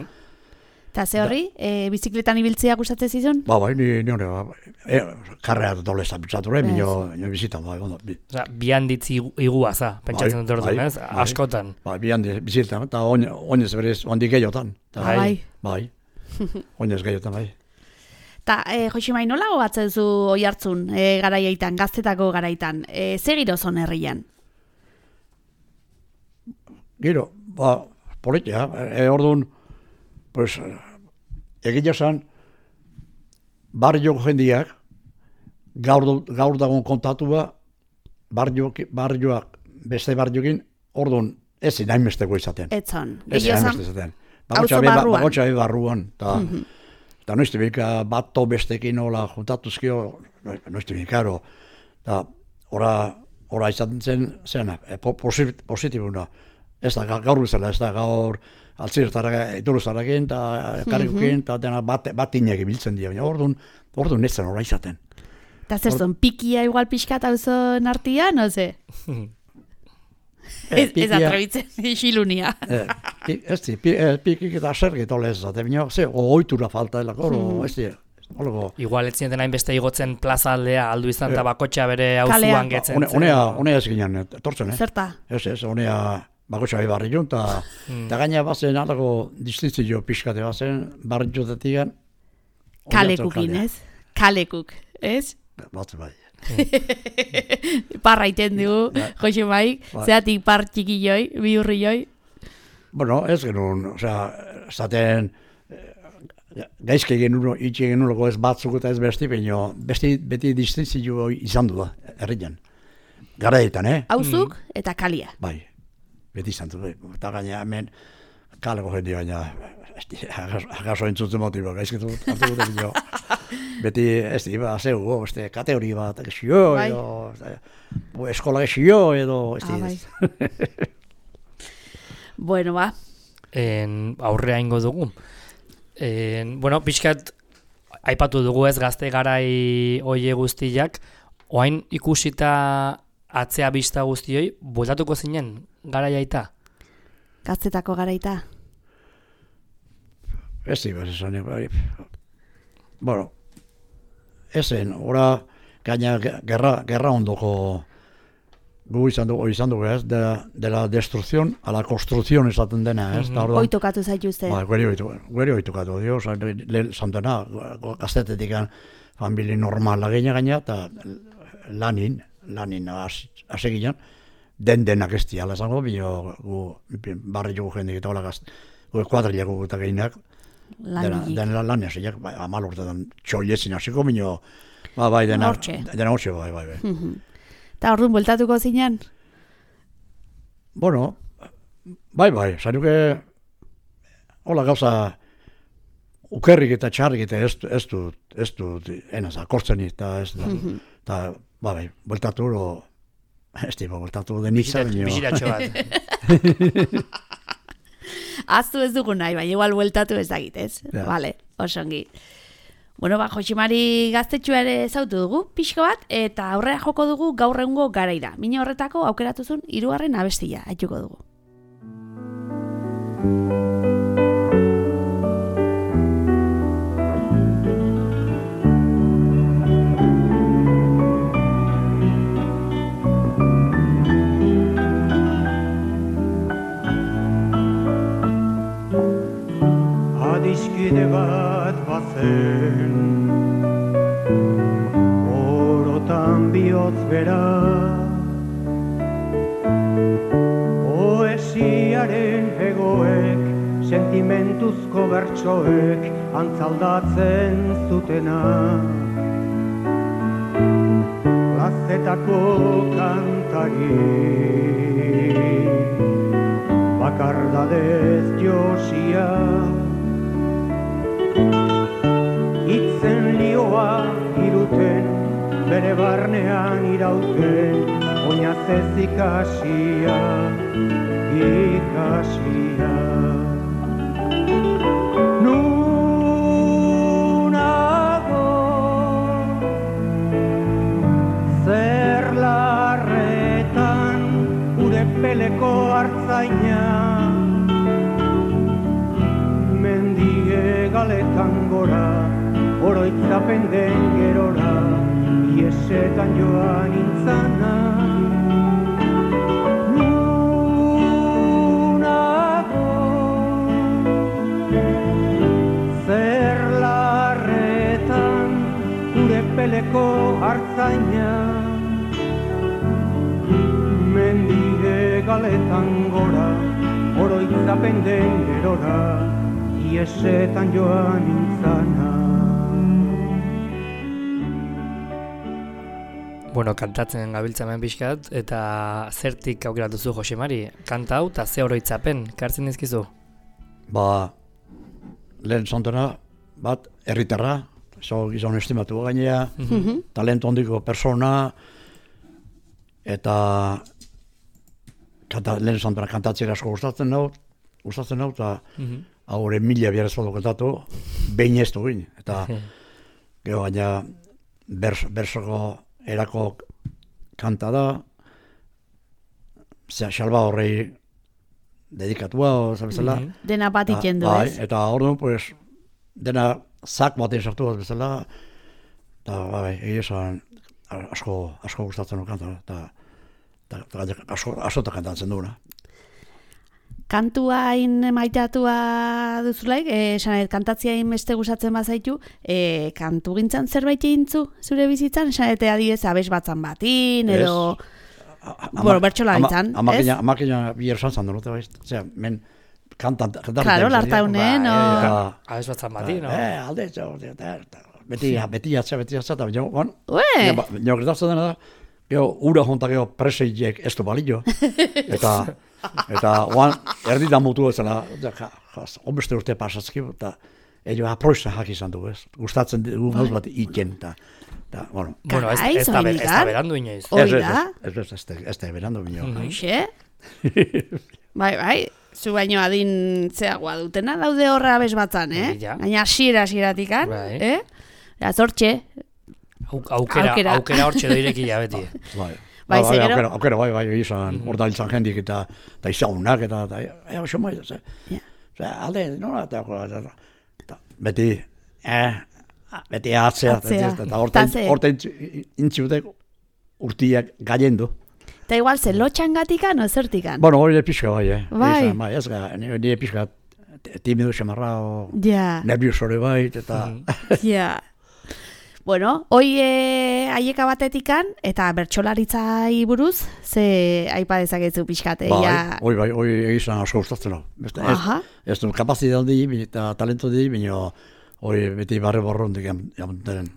Eta ze horri, e, bizikletan ibiltzea gustatzen zizun? ba, bai, ni, ni hori, ba, e, karrea doble zapitzatu, re, Ez. minio, minio bizitan, bai, ondo, bi, Osea, bi handitzi igua za, pentsatzen dut orduan, bai, ez? bai. Askotan. bai, bi handi bizitan, eta oin- oinez berez, handik gehiotan, eta, Ah, bai. bai, oinez gehiotan, bai. Ta, e, Josimai, nola gogatzen zu oi hartzun e, garaiaitan, gaztetako garaitan? E, ze girozon herrian? Gero, ba, politia, e, orduan, pues, egia esan, barrioko jendiak, gaur, do- gaur dagoen kontatua, barriok, barrioak, beste barriokin, orduan, ez inainbesteko izaten. Etzon. Ez Egia esan, inainbeste izaten. auzo barruan. Bakotxa be barruan, eta, eta noizte bika, bat to bestekin hola juntatuzkio, noizte bika, ero, eta, ora, ora izaten zen, zena, e, po, posit, positibuna, ez da, ga- gaur bezala, ez da, gaur, altzirtarrak, ituruztarrakin, eta karrikukin, eta dena bat, bat inek ibiltzen dira, baina orduan, orduan ez zen ora izaten. eta zer zon, pikia igual pixkat auzon artian, no ze? Ez, ez pikia- atrebitzen, isilunia. Eh, pi- ez di, pi, eh, pikik eta sergit ole ez zate, baina, ze, ohitura falta delako, oro, ez di, holako, Igual ez zineten hainbeste igotzen plaza aldea, aldu izan eta Eh. bakotxa bere Kalea. auzuan getzen One- zen. Honea, honea ez ginen, etortzen, eh? Zerta? Ez, ez, honea bakotxa bai barri jun, eta eta gaina bazen alako distintzio pixkate bazen, barri jotetik Kalekukin, ez? Kalekuk, ez? Batze bai. Parra iten dugu, Bai. Josimai, Bai. zeatik par txikioi, bihurrioi. Bueno, ez genuen, osea, esaten, eh, gaizke egin uno, itxe egin unoko ez batzuk eta ez besti, baina besti, beti distintzio izan du da, herrian. Garaietan, eh? Hauzuk eta kalia. Bai, beti izan du, bai. Eta gaina hemen, kaleko jendi baina, agaso entzuten motibo, gaizkitu hartu dute bino. Beti, ez di, ba, zeu, beste, kateori bat, xio, edo, eskola xio, edo, ez di. Bueno, ba. En, aurrea ingo dugu. En, bueno, pixkat, aipatu dugu ez gazte garai oie guztiak, oain ikusita atzea bista guztioi, bueltatuko zinen garaiaita? Gaztetako garaita? Ez di, bez esan, bai. Bueno, ezen, ora, gaina gerra, gerra ondoko gu izan dugu, izan dugu ez, de, de la destrucción a la construcción esaten dena, ez? Mm-hmm. Oitokatu zaitu uste. Ba, gueri oitokatu, dio, lehen zantena, gaztetetik famili normala gaina gaina, eta lanin, lanin hase ginen, den denak ez diala esango, bino gu barri jugu jendik eta hola gazte, gu kuadrilako eta gehinak, dena lan hasiak, amal urtetan txoiezin hasiko, bino, ba, bai, dena hortxe, bai, bai, bai. Eta orduan bueltatuko zinen? Bueno, bai, bai, zanuke, hola gauza, ukerrik eta txarrik eta ez, ez dut, ez dut, enaz, akortzen eta ez dut, eta, ba, bai, bueltatu, o, ez tipo, bueltatu denitza, bineo. Biziratxo bat. Aztu ez dugu nahi, bai, igual bueltatu ez dakit, ez? Ja. Vale, osongi. Bueno, ba, Joximari gaztetxua ere zautu dugu, pixko bat, eta aurrera joko dugu gaur egungo garaira. Mina horretako aukeratuzun hirugarren abestia, haituko dugu. Adiskide bat bazen, orotan bihotz bera, poesiaren hegoek, sentimentuzko bertsoek, antzaldatzen zutena. Plazetako kantari, bakardadez josia, itzen lioa iruten, bere barnean irauten, oinazez ikasia, ikasia. Nunago, zer larretan, ure peleko hartzaina, mendie galetan gora, oroitzapen den gerora, iesetan joan intzana. Nunago, zer larretan, ure peleko hartzaina, mendie galetan gora, oroitzapen den gerora, iesetan joan intzana. Bueno, kantatzen gabiltza hemen pixkat, eta zertik aukeratuzu Joximari? Kanta hau eta ze oroitzapen, kartzen dizkizu? Ba, lehen zantena, bat, herritarra, zo gizon estimatu gainea, mm-hmm. talento handiko persona, eta kanta, lehen zantena kantatzea asko gustatzen dut, gustatzen dut, eta mm-hmm. haure mila biarez badu kantatu, behin ez du gine. Eta, gero gaina, berso, bersoko erako kanta da, xalba horrei dedikatua, zabezala. Mm-hmm. Dena bat ikendu, bai, ez? Eta orduan, pues, dena zak batean sartu bat bezala, eta, bai, egia esan, asko, asko gustatzen du kanta, eta, eta, eta asko, asko kantatzen duena. Kantuain maitatua duzulaik, esan eh, kantatziain beste gustatzen bazaitu, eh, kantu gintzan zerbait egintzu zure bizitzan, esan eta adiez abes batzan batin, edo, bueno, bertxola gintzan, ez? Amakina, amakina bier sanzan dut, osea, men kantan, kantan. Claro, lartaunen, o... Abes batzan batin, no? Eh, alde, beti, beti atza, beti atza, eta, bueno, Ue! nio gertatzen dena da, Gero, ura jontak gero preseiek ez du balio. Eta, eta, oan, erditan mutu ezela, onbeste urte pasatzki, eta ello aproiza jak izan du, ez? Gustatzen dugu gauz bat iken, eta, eta, bueno. Bueno, ez, ez, da, ez da berandu inoiz. Ez, ez, ez, ez, ez, ez da berandu inoiz. Hoxe? Bai, bai, zu baino adin zeagoa dutena daude horra abez batzan, eh? Gaina hasiera hasieratik-an, eh? Azortxe. Aukera, aukera hortxe doirekia beti. Bai. Bai, bai, zegero? aukera, aukera, bai, bai, izan, hor da hiltzan jendik, eta, eta izagunak, eta, eta, ea, oso mai, ze, ze, alde, nola, eta, eta, beti, eh, beti atzea, eta horta intziutek urtiak galendu. Eta igual, ze lotxangatikan o zertikan? Bueno, hori pixka bai, eh. Bai. Izan, bai, ez ga, nire pixka timidu xamarra, o ja. nerviosore bai, eta... Ja. Bueno, hoi e, aieka batetikan, eta bertsolaritzai buruz, ze aipa dezakezu pixkate. Bai, ja... hoi bai, hoi egizan asko gustatzen hau. Ez, ez du kapazitate di, eta talento di, baina hoi beti barre borrondik jamuteren.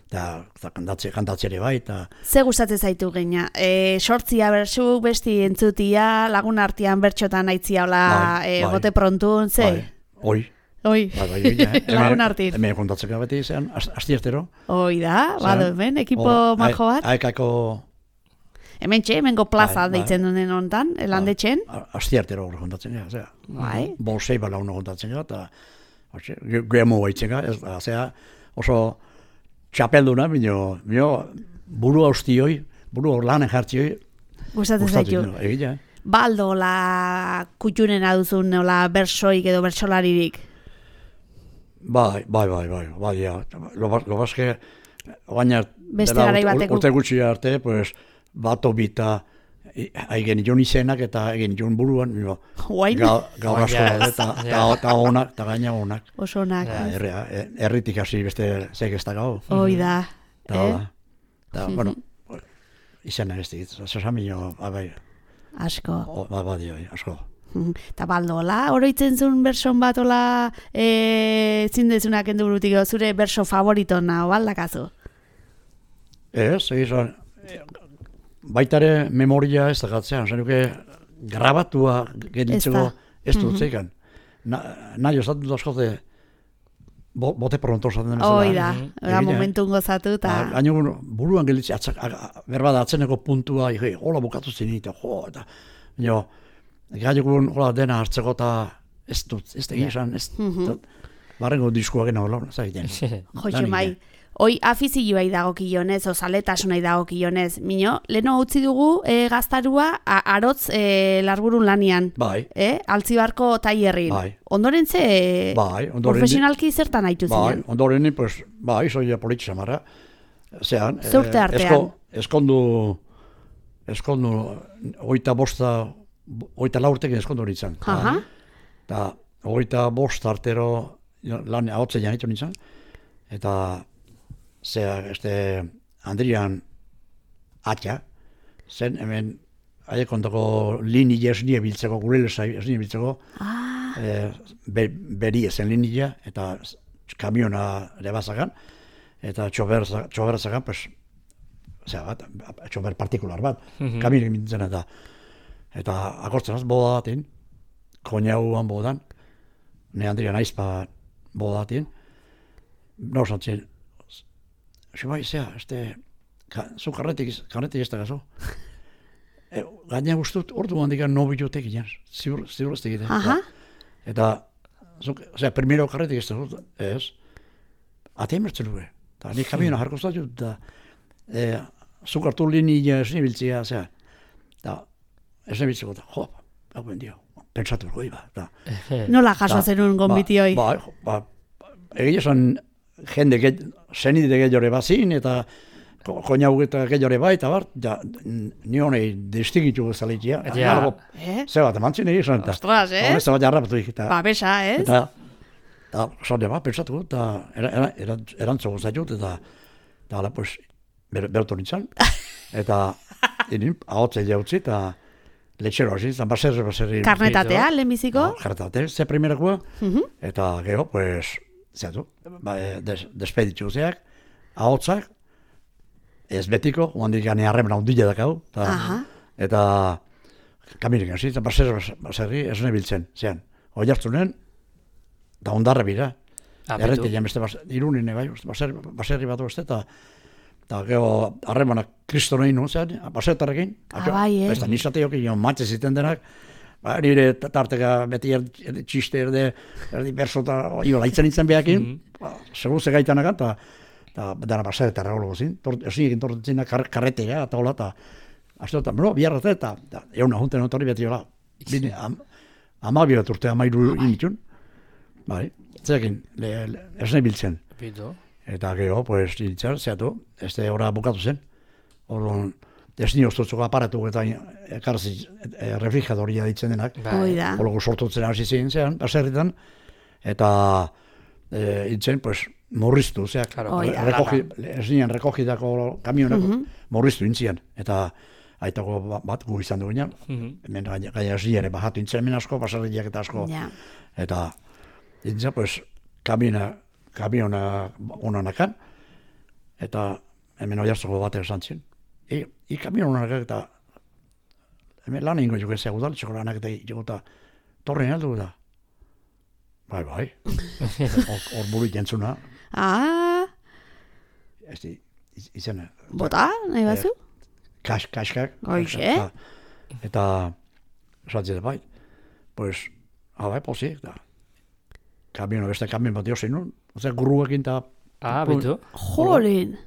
Eta kantatziare bai, eta... Ze gustatzen zaitu geina? E, sortzia bertsu, besti entzutia, lagun artean bertxotan aitzia hola, bai, e, bai, gote prontun, ze? Bai, hoi. Oi, Bai, bai, bai, lagun artin. Hemen kontatzeka beti izan, asti ertero. Oi da, bado hemen, ekipo majo bat. Aekako... Hemen txe, hemengo plaza bai, deitzen duen honetan, elandetxen. Asti ertero hori kontatzen gara, zera. Bai. Bolsei bala uno kontatzen gara, eta gremo baitzen gara, zera, oso txapelduna, bino buru haustioi, buru hor lanen jartzioi. Gustatzen zaitu. Egia, eh? Baldo, la kutxunena duzun, la bersoik edo bersolaririk. Bai, bai, bai, bai, bai, ja. Lo, lo baske, baina... Beste garai bateko. Urte gutxi arte, pues, bato bita, haigen jon izenak eta haigen jon buruan, Guain? Gaur asko da, eta onak, eta gaina onak. Oso onak. Erritik hasi beste zeik ez da gau. Hoi da. Eta, bueno, izena ez digit, zasamino, bai. Asko. Ba, bai, asko. Eta baldola, oroitzen zuen berson bat ola e, zindezunak endurutik zure berso favoritona, baldakazu? Ez, egizan, baitare memoria ez da gatzean, zenuke grabatua genitzeko ez dut zeikan. Nahi osatzen dut askote bote pronto osatzen dena. Hoi da, era momentun gozatu eta... Gaino buruan gelitzi, berbada atzeneko puntua, hola bukatu zinite, jo, eta... Gailukun hola dena hartzeko eta ez dut, ez da egizan, ez dut, barrengo diskuak gena hola, zagiten. Joitxe mai, hoi afizioai dagokionez, o zaletasunai dagokionez, mino, leno utzi dugu e, gaztarua a, arotz e, larburun lanian. Bai. E, Altzibarko taierrin. Bai. Ondoren ze, bai, ondoren profesionalki zertan haitu ziren? Bai, ondoren, pues, bai, zoia politxe marra. Zean, Zurte artean. Esko, eskondu, eskondu, oita bosta, oita laurtekin eskondu nintzen. Aha. Eta oita bost artero lan ahotzen janitu nintzen. Eta zea, este, Andrian atxa, zen hemen aiekontako linia esnie biltzeko, gurelesa esnie biltzeko, ah. e, be, beri ezen linia, eta kamiona ere bazakan, eta txober zakan, pues, zera bat, txober partikular bat, mm-hmm. kamionek mintzen eta Eta akortzen az, boda datin, koinauan bodan, ne Andrian aizpa boda datin, no zantzien, bai, zea, este, zu karretik, karretik ez da gazo. E, Gaina guztut, ordu handikan no bibliotek inan, ziur, ziur ez tegite. Eta, zera, primero karretik ez da, ez, ate emertzen dugu, eta nik kamiona jarko zatu, eta e, zu kartu linia esni biltzia, zera, eta, ez nebitzeko, jo, hau ben dio, pentsatu goi ba. Nola jaso zenun gonbitioi? Ba, ba, egia esan jende zenide gehiore bazin, eta koinau eta gehiore bai, eta bar, ja, nionei destigitu bezalitia. Ja. Ze bat, emantzin egin esan, eta. Ostras, eh? Horrez bat jarrapatu ik. Ba, besa, ez? Eta, eta, zade ba, pentsatu, eta erantzo gozatut, eta, eta, ala, pues, bertu nintzen. Eta, inin, ahotzei jautzi, eta, letxero hasi, zan baserri, baserri... Karnetatea, lehenbiziko? No, karnetatea, ze primerakoa, uh-huh. Eta gero, pues, zeatu, ba, des, despeditu zeak, ahotzak, ez betiko, handik gane harremen handila dakau, eta, eta kamirik hasi, eta baser, baserri ez nebiltzen, zean, hoi hartzunen, eta ondarra bira. Errete jan beste irunine bai, baser, baserri bat beste, eta eta geho harremanak kristo nahi nuen zean, basertarrekin, bai, eh? Eta nizate jokin joan matze ziten denak, ba, nire tarteka beti erdi txiste erde, erdi berso eta iba laitzen nintzen behakin, mm -hmm. segun ze gaitanakan, eta eta dara basertarra holo gozin, ezin egin tortetzen kar, karretea, eta hola, eta azte eta, no, biarrate, eta egun ahunten otorri beti hola, bine, am, amabio bat urte amairu initun, bai, zekin, ez nahi biltzen. Bito. Eta geho, pues, dintzar, zehatu, ez da hora bukatu zen. Orduan, ez ni oztotzoko aparatu eta ekarzi e, refrijadoria ditzen denak. Hoi da. Hologu sortutzen hasi zein zean, baserritan, eta e, itzen, pues, morriztu, zeak, rekogi, ez nien rekogitako kamionako, uh -huh. morriztu intzian. Eta aitako bat gu izan dugunean, uh -huh. hemen gaia ez ere bajatu intzen hemen asko, baserriak eta asko. Yeah. Eta, intzia, pues, kamiona, kamiona onanakan, eta hemen oiartzoko batek esan zin. I, i kamion onanakan eta hemen lan ingo juke zego dal, txeko lanak eta juko eta torren aldu da. Bai, bai. Hor buru jentzuna. Ah. Ez di, izena. Bota, nahi batzu? Kas, kaskak. Hoxe. Eta, esatzen bai, pues, bai, posi, da. Kamion, beste kamion bat diosin nun, oza, gurruekin eta... Ah, bitu. Jolin.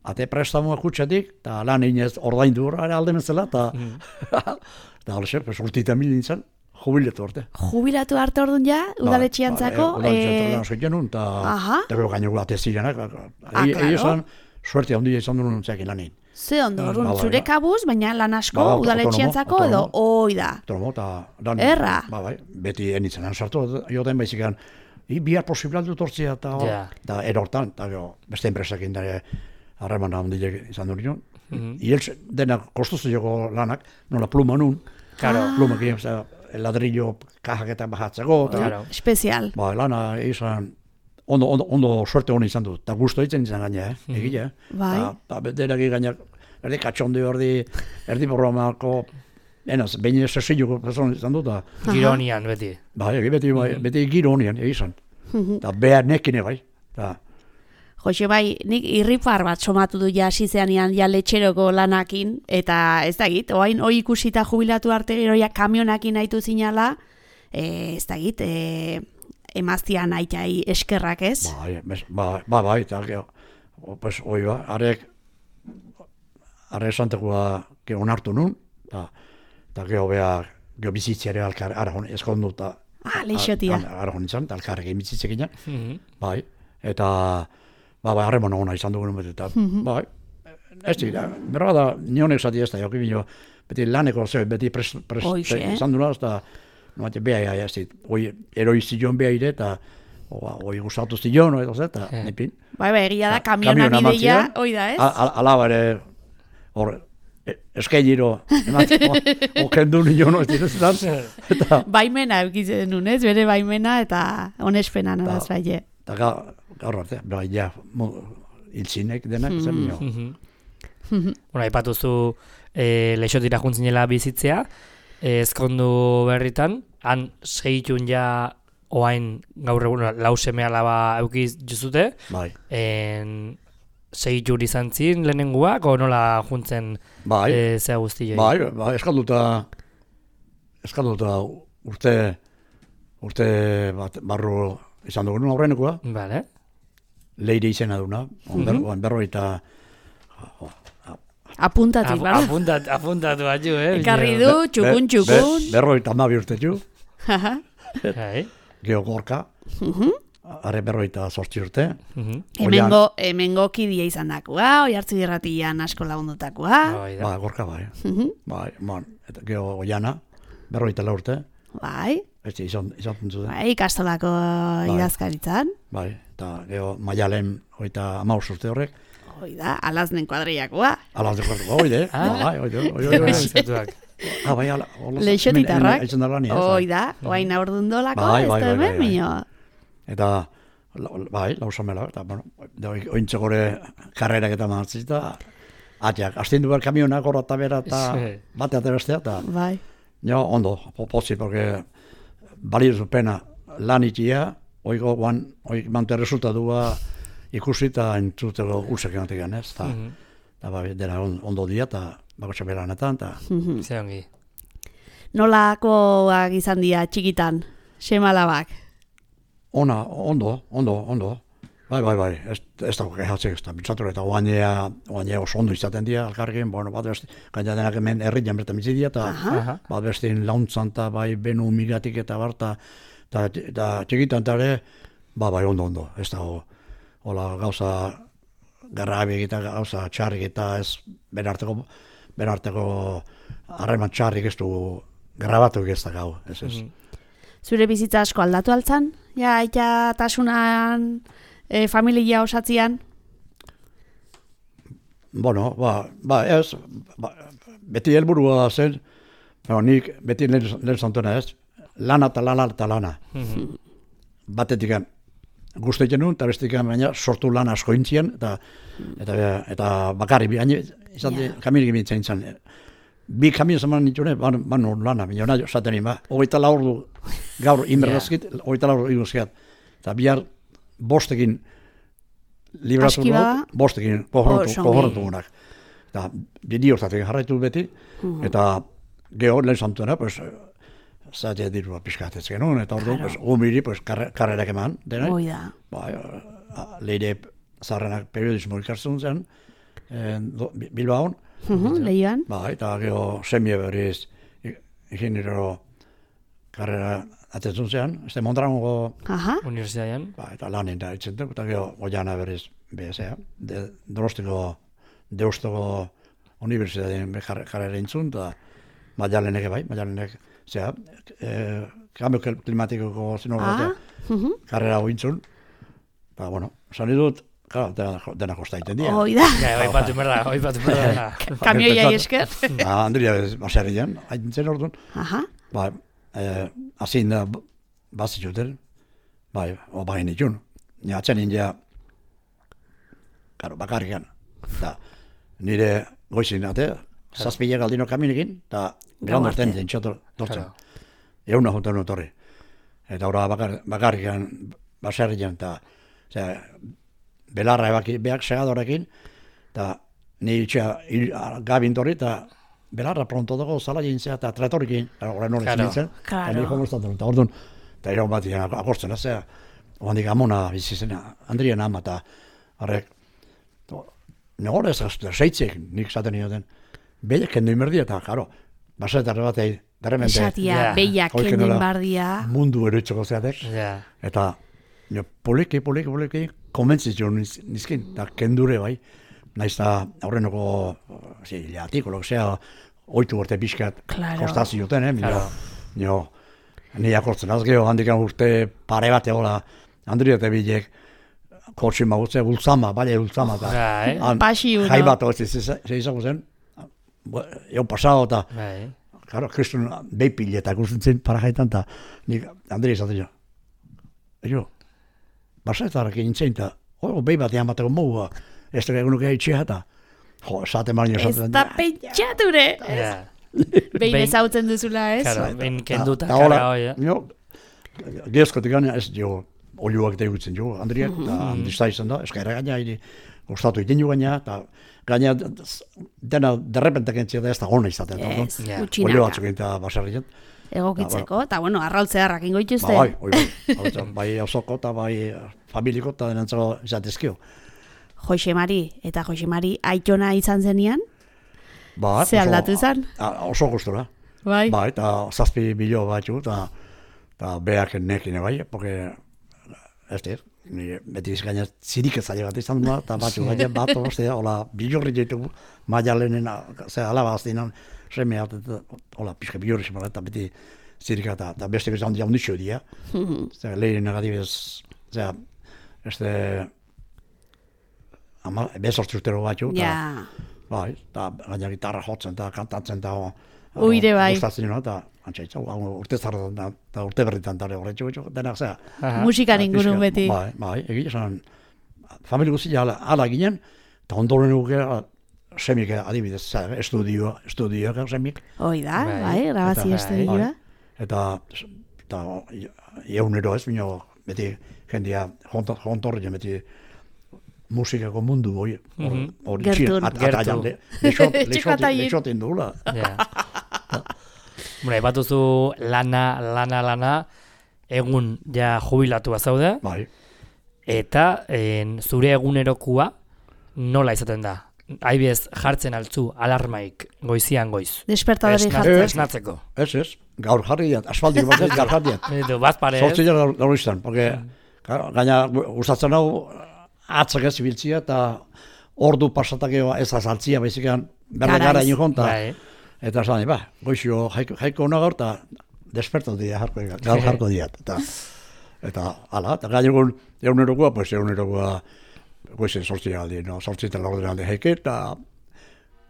Ate prestamoa kutsatik, eta lan inez ordaindu horra alde nezela, eta... Eta alxe, pues, urtita mil nintzen, jubilatu arte. Jubilatu arte orduan ja, udaletxiantzako? Udaletxiantzako lan zoiten nun, eta gero gaino ate zirenak. Egi esan, suerte handia izan duen nintzekin lanin. Ze ondo, orduan, zure kabuz, baina lan asko udaletxiantzako edo, oi da. Autonomo, eta... Erra. Ba, bai, beti enitzen sartu, joten baizikan, I bihar posiblal dut hortzea, eta yeah. erortan, eta beste enpresakin dara harreman handilek izan dut nion. Mm -hmm. Denak kostuzu joko lanak, nola pluma nun, claro. Pluma egin, ladrillo kajaketan bajatzeko. Claro. Espezial. Ba, lana izan, ondo, ondo, ondo suerte honi izan dut, eta gusto ditzen izan gaina, eh? Mm -hmm. Egile, eh? Bai. Eta denak gaina, erdi katxondi, erdi, erdi programako, enaz, behin sesilluko person izan dut, da. Gironian, beti. Bai, beti, bai, beti gironian, egizan. Eta behar nekine, bai. Joxe, bai, nik irripar bat somatu du ja asizeanian ja letxeroko lanakin, eta ez da git, oain hoi ikusita jubilatu arte gero ja kamionakin haitu zinala, e, ez da git, e, emaztian aitai eskerrak ez? Bai, bai, bai, bai, eta pues, oi ba, arek, are esantekua onartu nun, eta geho beha, geho bizitziare alkar, ara hon, eskondu, eta ah, leixotia. Ara hon izan, eta alkarrekin bizitzekin, bai, eta ba, bai, harreman hona izan dugun beti, eta, bai, ez dira, berra da, nionek zati ez da, jokin bino, beti laneko zeu, beti prest, prest, izan duna, eta, no, beti, beha, ez dit, oi, eroi zion beha ire, eta, oi, gustatu zion, oi, eta, nepin. Bai, bai, egia da, kamionan ideia, oi da, ez? Alaba ere, hor, eskailiro, okendu nion, ez dira, eta... Baimena eukitzen nun, ez, bere baimena, eta onespena nolaz baile. Eta gaur arte, bai, ja, hiltzinek denak, zen nio. Bueno, aipatuzu leixotira juntzinela bizitzea, ezkondu berritan, han segitun ja oain gaur egun lau seme alaba eukiz juzute, bai. Segitur izan zin lehenenguak, o nola juntzen zea guztioi? Bai, bai, eskalduta, eskalduta urte, urte bat barru izan dugun aurrenekoa. Vale. Leire izena duna, on berroita... Apuntatik, bera? Apuntatu bat ju, eh? Ekarri du, txukun, txukun. Berroita amabi urte ju. Geo gorka. Are berroita sortzi urte. Hemengo, hemengo kidia izan dakua, oi hartzu irratian asko lagundutakoa. Ba, gorka bai. Bai, man, eta geo oiana, berroita la urte. Bai. Ez izan zuten. Bai, ikastolako idazkaritzan. Bai, eta geo maialen oita amaus urte horrek. Hoi da, alaznen kuadriakoa. Alaznen kuadriakoa, oide. Bai, oide, oide. Ah, bai, ala. Leixotitarrak. Hoi da, oain aurdundolako, ez da hemen, mino. Eta, bai, lausamela, eta, bueno, ointze gore karrerak eta mahatzita, atiak, astindu behar kamionak horra eta bera, eta batea eta bestea, eta bai. jo, ondo, pozi, porque balio pena lan itia, oiko guan, oik mante resultatua ikusi eta entzuteko usek ematik ez, eta mm -hmm. bai, dena ondo dia, eta bakotxe beranetan, eta... Mm -hmm. Ze ongi. Nolakoak izan dira txikitan, semalabak? Ona, ondo, ondo, ondo. Bai, bai, bai, ez, ez dago kehatzek, ez da, bitzatura eta oanea, oanea oso ondo izaten dira, alkarrekin, bueno, bat beste, gaina denak hemen herrian bertan bizi dira, eta bat bestein launtzan, eta bai, benu migatik eta barta, eta txikitan eta ere, ba, bai, ondo, ondo, ez dago, hola, gauza, garrabik eta gauza txarrik eta ez, berarteko, berarteko harreman txarrik ez du, grabatu ez da gau, ez ez. Zure bizitza asko aldatu altzan? Ja, aita tasunan, e, familia osatzian? Bueno, ba, ba ez, ba, beti helburua zen, no, nik beti lehen zantuna ez, lana eta lana eta lana. Mm-hmm. Batetik guzti genuen, eta bestetik baina sortu lan asko intzien, eta, eta, eta bakarri, baina izan yeah. Kaminik bintzen izan. Bi kamio zaman nitune, ban, ban lana, baina nahi esaten ima. Hogeita laur du, gaur inberdazkit, yeah. Hogeita laur iguzkiat. Eta bihar bostekin libratu dut, bostekin kohorretu gunak. Eta bidi hortatik jarraitu beti, mm-hmm. Eta geho lehen santuena, pues, zate dirua pixkatez genuen, eta ordu, pues, gumiri, pues, karrerak eman, denai. Oida. Ba, leire zarrenak periodismo ikarzun zen, Bilbaon. Uh-huh, Leioan. Ba, eta geho semie berriz ingeniero karrera atetzun zean, este Mondragongo universitatean. Ba, eta lanen da itzen duk, eta geho oiana berriz bezea, de, Donostiko Deustuko universitatean karrera intzun, eta Maialenek bai, Maialenek, zera, eh, kambio klimatikoko zinogaratea, uh-huh. Karrera hointzun, eta, bueno, zan dut, claro, dena kosta iten dira. Oida. Oi patu merda, oi patu merda. Kamioia esker. Ba, Andria baserrian, haitzen orduan. Aha. Ba, eh, azin da bazituten, bai, o bain itun. Ni atzen india, karo, bakarrikan. Da, nire goizin ate, zazpilek aldino kaminikin, eta gran orten den txotor dortzen. Euna juntan notorri. Eta ora bakar, bakarrikan baserrian, eta, zera, belarra ebaki, behak segadorekin, eta nire itxea gabin torri, eta belarra pronto dago zala jintzea, eta tratorikin, horren horren zintzen, eta nire komostatu, eta orduan, eta iraun bat egin akortzen, zera, oandik amona bizizena, Andrien ama, eta horrek, negore ez gaztu, seitzek nik zaten nioten, behiak kendu inberdia, eta, karo, basetarre bat egin, derremente, esatia, behiak kendu inberdia, mundu eroitzoko zeatek, eta, nio, poliki, poliki, poliki, komentzitzio nizkin, eta kendure bai, naiz eta aurrenoko, zi, lehatiko, zea, oitu gorte pixkat, kostazio zioten, eh, claro. Nio, nire akortzen, azgeo, handikan urte pare bat egola, Andria eta bilek, kotxin magutze, ultzama, bale ultzama, eta jai bat hori ze izango zen, egon pasado, eta, claro, kristun behipile eta gustentzen para jaitan, eta nik Andria izaten jo, jo, basetarrak egin zein, eta hori behi bat egan bateko mogua, ez da egunuk egitxea, eta jo, esaten marino esaten. Ez da pentsature! Behin ezautzen duzula, ez? Claro, behin kenduta kara hoi, eh? Gezkotik gana ez jo, oliuak eta egutzen jo, Andriak, eta handizta izan da, eskaira gaina, hiri, gustatu iten jo gaina, eta gaina dena derrepentak entzia da ez da gona izaten. Ez, gutxinaka. Olio batzuk eta baserrian. Egokitzeko, eta bueno, arrautzearrak ingo ituzte. Bai, bai, bai osoko eta bai familiko eta denantzako izatezkio. Joxe Mari, eta Joxe Mari aitona izan zenian? Ba, ze aldatu izan? Oso gustura. Bai. Bai, eta zazpi bilo batzu, eta beak nekin bai, porque ez dira, beti gaina zirik ezaile bat izan da, eta batzu gaina bat, ostia, hola, bilorri ditugu, Maialenen, ze alaba aztinan, semea, hola, pixka bilorri zemara, eta beti zirik eta beste bezan dia ondixo dia. Zer, lehen negatibez, zer, ez de, ama, bezortzi urtero batzu, eta, bai, eta gaina gitarra jotzen, eta kantatzen, eta, uire bai. Gustatzen nuna, eta antxaitza, urte zarretan, eta urte berritan tare horretxo, denak zea. Musikan ingurun beti. Bai, bai, egia esan, familia guztia ala, ala ginen, eta ondoren nuke semik adibidez, estudio, estudioak semik. Hoi da, Bai. bai, grabazio Eta- estudioa. Eta, eta egunero ez, bino, beti jendia jontorri, beti musikako mundu hori. Mhm. Hori Gertun. txin, at- Gertu. ataian, le- lexot- Etxeko lexotin- ataien. lexotin duela. Ja. Bueno, aipatuzu lana, lana, lana, egun ja jubilatua zaude, Bai. eta en, zure egunerokua nola izaten da? Aibez jartzen altzu alarmaik goizian goiz. Despertadori Esna- jartzen. Esnatzeko. Ez, ez, gaur jarri diat, asfaltik bat ez, gaur jarri diat. Edo, bat pare ez? Zortzi jara gaur izan, porque ga- gaina gustatzen hau atzak ez ibiltzia eta ordu pasatakeo ez azaltzia, baizikan berda Garaiz. gara ino Bai. eta esan, ba, goizio jaiko, jaiko hona gaur, eta despertatu dira, jarko, gaur jarko diat. Eta, eta ala, eta gaina egun egunerokoa, pues egunerokoa goizen sortzi galdi, no, sortzi eta laurden alde jaike, eta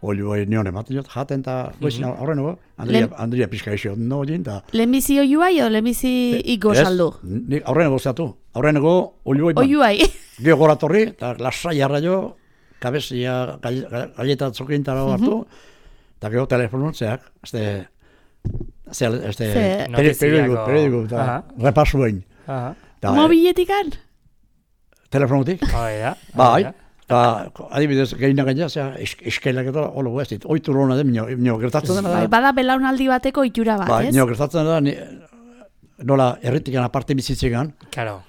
olio nion ematen jot, jaten eta goizien aurreneko, Andria, Lehen- Andria pizka eixo, no, egin, eta Lehenbizi oiuai o lehenbizi iko Ez, saldu? Nik aurreneko zeatu. Aurreneko olioi man. Oiuai. Gio gora torri, eta lasai arra jo, kabezia, galleta zokinta hartu, eta gero telefonutzeak, este, este, este, Ze- peri- periodiku, Notiziako. periodiku, eta Aha. repasu behin. Aha. Eta, Mobiletikan? telefonutik, Hoi da. bai, hoi da. eta adibidez, gehiena gaina, zera, eskelak eta holo ez dit, oitu lona den, minio, minio gertatzen dena Bai, da, bada belaunaldi bateko itxura bat, bai, ez? minio gertatzen da, ni, nola, erritikan aparte bizitzegan, Claro.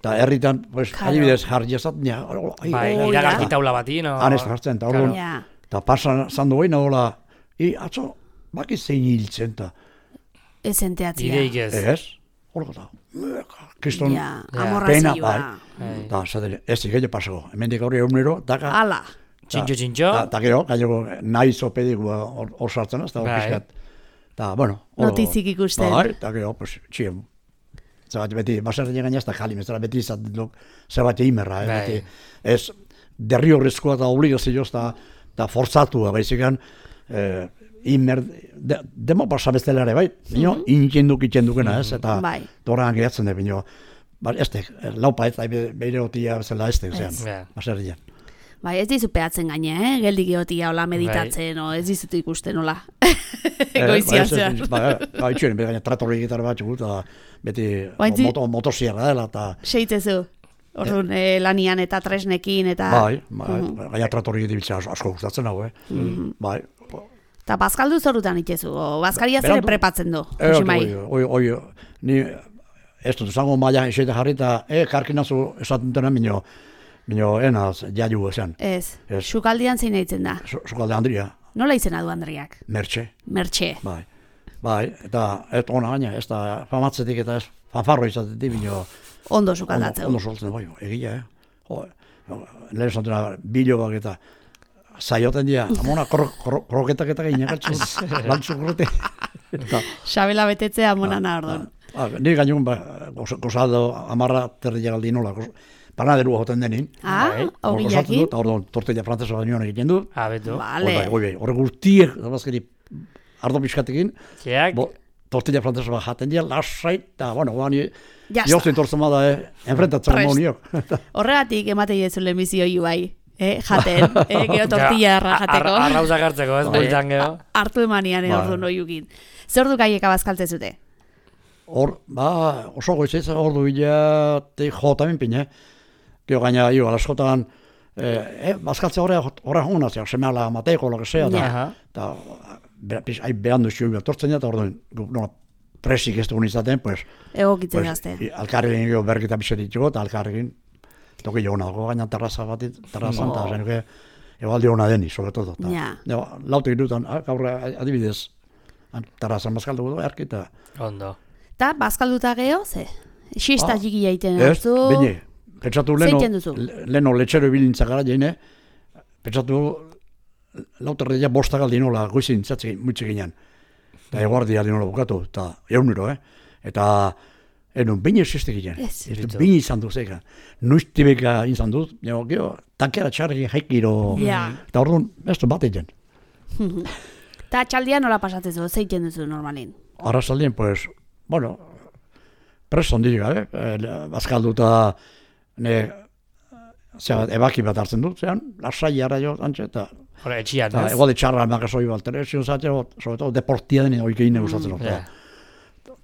eta herritan, pues, Claro. adibidez, jarri ezat, nia, ai, Bai, Oh, iragarki ja. taula bati, no? han ez jartzen, eta orduan, Ja. eta pasan zandu behin, hola, i, atzo, baki zein hiltzen, eta, Ez enteatzia. Ideik ez. ez, horko da, kriston, Ja, Ja. amorrazioa. pena, bai. Bai. eta, zaten, ez ikelle pasako, hemendik aurri egunero, daka, Ala. Txintxo, txintxo. eta gero, gaileko, nahi zopediko hor hor sartzen, ez da, hor Bai. pixkat, eta, bueno, hor- Notizik ikusten. bai, eta gero, pues, txien, zebat beti, baserri gaina ez da jali, ez da, beti izaten duk, zebat imerra, eh, Bai. beti, ez, derri horrezkoa eta obligazioa eta, eta forzatua, baizikan, eh, imer, de, demo pasa bestelare, bai, bino, intxenduk itxendukena, ez, eta, Bai. torran geratzen da, bino, ba, ez da, laupa ez da, beire otia bezala ez da, zean, Ja. baserrian. Bai, ez dizu peatzen gaine, eh? Geldik egotia, hola meditatzen, o ez dizutu ikusten, hola. Eh, Goizian ba, ez- zean. ez- Ba, ba, itxuen, gaina tratorri gitar bat txugu, eta beti Baintzi- moto, motosierra dela, eta, Seitzezu. Orduan, eh, lanian eta tresnekin eta... bai, bai, gaina tratorri gitar asko gustatzen hau, eh, bai, Eta bazkaldu zorutan itxezu, o bazkaria zere Berandu- prepatzen du. Eh, Josimai. oi, oi, oi, ni ez dut zango maila esete jarri eta e, karkinazu esaten dena minio, minio enaz, jaiu esan. Ez, Ez. sukaldian zein eitzen da. Zukalde Andria, Nola izena du Andriak? mertxe, Mertxe. bai. Bai, eta ez ona gaina, ez da famatzetik eta ez fanfarro izatetik minio, Ondo ondo, sukaldatzeu. ondo soltzen, bai, egia, eh? Jo, lehen esatena bilobak eta zaioten dira, amona kro, kro, kroketak eta gainakaltzen, lantzu krote. Eta, Xabela betetzea monana orduan. Ah, ni gainun, ba, gozado amarra terdia galdi nola, panaderua joten denin. Ah, Bai. Hor gozatzen ogiakin. dut, orduan tortilla frantzesa baino egiten du. Ah, betu. Vale. Hor bai, hor guztiek, dabazkeri, ardo pixkatekin, Zeak, bo, tortilla frantzesa bat jaten dira, lasai, eta, bueno, guan, Ya jozten está. tortzen bada, eh, enfrentatzen Prest. moniok. Horregatik ematei ez zule misioi bai. Eh, jaten, eh, gero tortilla erra jateko. Arrauza hartzeko, ez, Bai. bultzan gero. Hartu emanian eh, Bai. orduan oiukin. Zer du gaieka bazkalte zute? Hor, ba, oso goizez, hor du bila, te jotamen pine. Gero gaina, jo, alaskotan, eh, eh, bazkaltze horre, horre hona, zera, semala mateko, lo que sea, Ja. Aha. eta, be- pix, hai behandu zio tortzen da, eta orduan, gu- nola, presik ez dugun izaten, pues, Egokitzen pues gazte. i- alkarrekin gero berkita pixet ditugu, eta alkarrekin, toki jo nago, gaina terraza bat, terrazan, eta zen, que, ebaldi hona deni, sobre todo. Ta, Ja. ja, lautik dutan, ah, gaur adibidez, terrazan bazkaldu du, erki, eta, Ondo. Eta bazkalduta geho, ze? Xista Ah, txiki jaiten ez, duzu. bine, pentsatu leno, Zeiten duzu? le- leno letxero ibilintza gara jene, pentsatu lauterreia bosta galdi nola, goizin zatzi mutxe ginen. Eta eguardia di nola bukatu, eta eunero, eh? Eta, enun, bine ziste ginen. Ez. Bitu. Bine izan duz eka. Nuiztibeka izan duz, jo, gero, tankera txarri jaikiro. Ja. Eta orduan, ez du bat egin. Eta txaldia nola pasatzezu, zeiten duzu normalin? Arrazaldien, pues, bueno, preso ondik, eh? eh bazkalduta, ne, zera, ebaki bat hartzen dut, zean, lasai ara jo, antxe, eta Hora, etxian, Ta, ez? igual de txarra makasoi bat, telebizio zaten, sobre todo deportia denen oikein gustatzen hor. Ja.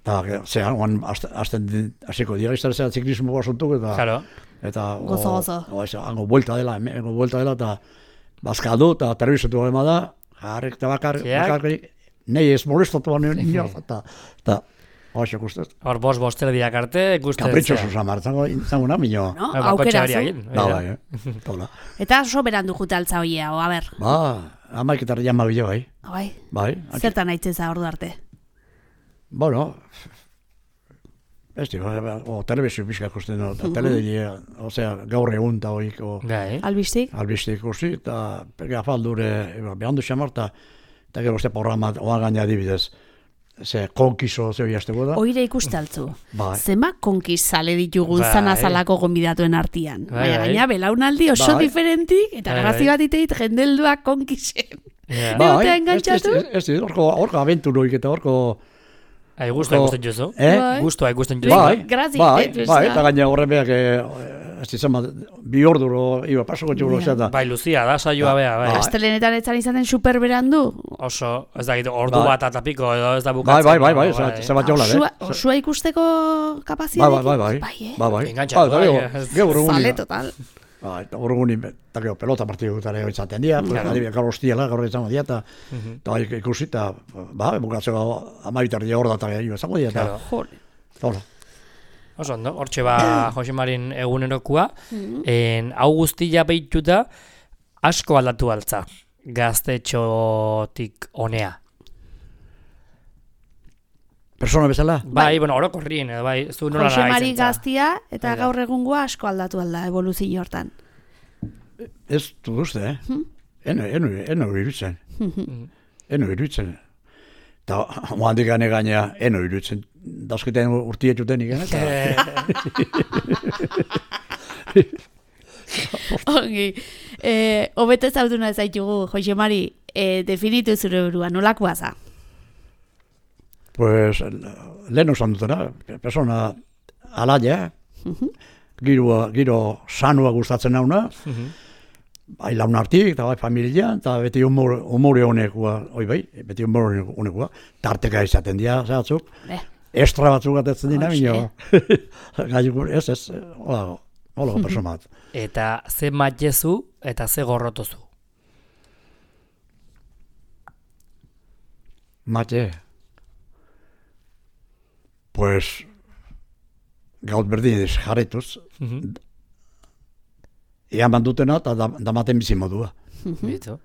Ta, zera, oan, azten, hasiko dira izan zera ziklismo asuntuk, eta... Claro. Eta... Gozo, gozo. O, eso, hango vuelta dela, hango vuelta dela, eta... Bazkadu, eta telebiziotu galema da, jarrek eta bakar, bakar, nahi ez molestatu baino, eta... Eta... Oaxo guztez. Hor, bost, bostera diak arte, guztez. Kapritxoso zamar, zango, zango na, minio. No? Ba, Aukera kotxe zu. egin, Da, bai, bai, eh? Tola. Eta oso berandu jute altza hoia, o, a ber. Ba, amaiketar jama bilo, bai. Bai. Bai. Zertan aitzeza ordu arte? Bueno, ez di, o telebizio pixka ikusten, no, teledilia, osea, gaur egun eta hoik, o, Bai. Albistik? albiste ikusi, eta perga afaldure, behandu xamar, eta eta gero este programa, oan gaina adibidez, ze konkiso zeo jazteko da. Oire ikuste altzu. Bai. Zema konkiz sale ditugun Bai. zanazalako gonbidatuen artian. Bai, Baina bai. gaina belaunaldi oso Bai. diferentik, eta Bai, grazi bai. bat iteit jendelduak konkisen. Ja. Bai. Egotea engantzatu? ez, ez, ez, horko, horko abenturoik eta horko... Ai, gustoa Horko- ikusten jozu. Eh? Bai. Gustoa ikusten jozu. Bai, Grazi, bai, eh, bai, bezala. eta gaina horren beak, ez izan bat, bi orduro, iba, pasoko txulo, Ja. eta... Bai, Lucia, da saioa Ba, bea, bai. bai. Astelenetan etzan izaten superberandu. Oso, ez da, ordu Bai. bat eta piko, edo ez da Bai, bukatzen. bai, bai, bai, no, ze- ze bat jola, Osua, eh? osua ikusteko Bai, kapaziadekin? bai, bai, bai, Bai, eh? bai, bai. Engantzatu, Bai, bai, eta ez- gero, gero Zale egunin, total. bai, eta gero egunin, eta gero pelota partidu gutare izaten dira, pues, Claro. adibidez, gaur hostiela, gaur izango dira, eta Mhm. eta bai, ikusi, eta, ba, bukatzeko amabitardia hor da, eta gero izango dira, eta, Claro. Jole. hola. Oso ondo, hortxe ba Jose Marin egunerokua, en, hau guztia behituta asko aldatu altza, gaztetxotik honea. Persona bezala? Bai, bueno, orokorrien, edo bai, zu nola Jose Mari nagaitzen za. gaztia eta Bai da. gaur egungoa asko aldatu alda evoluzio hortan. Ez dut uste, eh? Eno, eno, eno iruditzen. Eno iruditzen. Eta oandik gane gaina, eno iruditzen. Dazketen urtietuten igen, eta... Ongi, eh, hobete zautuna zaitugu, Jose Mari, eh, definitu zure burua, nolakoa za? Pues, lehen osan dutena, persona alaia, giro, giro sanua gustatzen nauna, bai launartik, eta bai familia, eta beti humor, humore honekua, oi bai, beti humore honekua, tarteka izaten dira, zehatzuk, Eh. estra batzuk atetzen dira, Hoxe. minio, gaiuk, ez, ez, hola, hola, persona bat. Eta ze matjezu eta ze gorrotozu. Mate, pues, gaut berdin jarretuz, Mhm. ean bandutena eta da, damaten bizi modua. Bitu.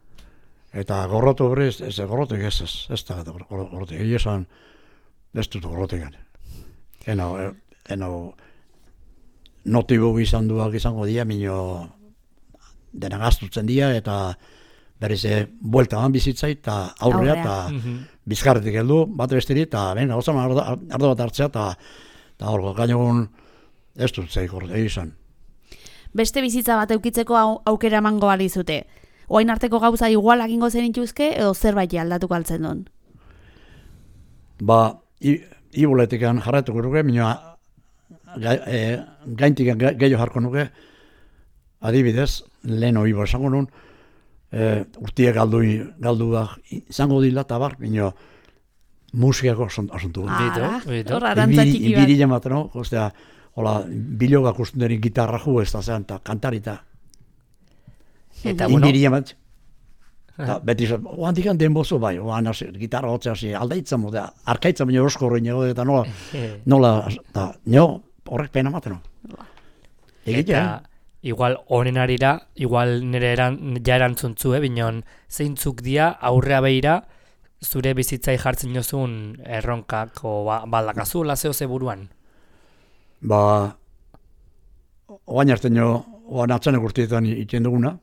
Eta gorrotu hori, ez, ez gorrotek ez, ez, ez da gorrotek, egia esan, ez dut gorrotek gane. Eno, eh, eno, notibu izan duak izango dira, minio dena gaztutzen dira, eta berriz eh, buelta man bizitzai, eta aurrea, Aurrea. eta Mhm. bizkarretik heldu, bat besteri, eta venga, gozan ardo, ardo bat hartzea, eta eta hor, gainogun ez dut zeik gorrotek, egia esan. Beste bizitza bat eukitzeko au- aukera emango balizute. Oain arteko gauza igual egingo zenituzke edo zerbait aldatuko altzen duen. Ba, i- ibuletikan jarratuko nuke, minua ga, e, gaintik ga- gehiago jarko nuke, adibidez, lehen ibo esango nun, e, urtiek galdu, galduak izango dila eta bar, minua musikako asuntu. Bitu, Ara, bitu. hor arantza txiki bat. Ibirile bat, no? Ostea, hola, bilogak usten derin gitarra ju ez da zean, eta kantarita. Eta bueno, Inbirile bat. Ta, beti, oan dikan denbozu bai, oan hasi, gitarra hotzea hasi, aldaitzen mode, arkaitzen baina erosko horrein eta nola, eh, nola, da, nio, horrek pena maten, no? Egitea, eta igual honen arira, igual nire eran, ja erantzuntzu, eh, binon, zeintzuk dia aurrea behira, zure bizitzai jartzen jozun erronkako ba, baldakazu, lazeo ze buruan. ba, oain arte nio, oan atzanek urtietan iten duguna,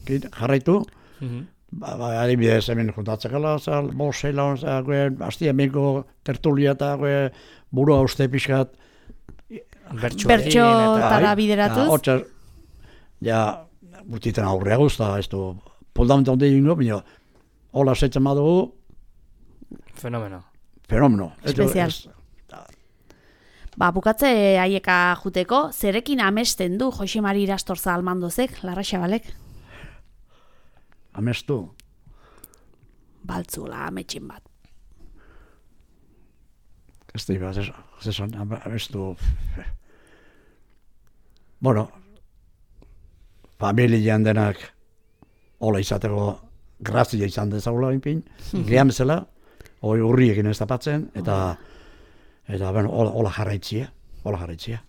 kit, jarraitu, Mhm. ba, ba, adibidez hemen juntatzekala, zal, bosela, gue, hastia meko tertulia eta gue, burua uste pixkat, Bertxo Bertso egin eta... tara bai, bideratuz. ja, hortxe, ja, urtietan aurrea guzta, ez du, poldamenta onde ingo, bino, hola setzen badugu, Fenomeno. fenomeno. Ez du, Espezial. ez- Ba, bukatze haieka juteko, zerekin amesten du Jose Mari Irastorza almandozek, Larra Xabalek? amestu. Baltzula, ametxin bat. Ez da, ez esan, amestu. Bueno, familian denak hola izateko grazia izan dezagula inpin, gehan bezala, hoi urriekin ez tapatzen, eta, eta bueno, hola jarraitzia, hola jarraitzia.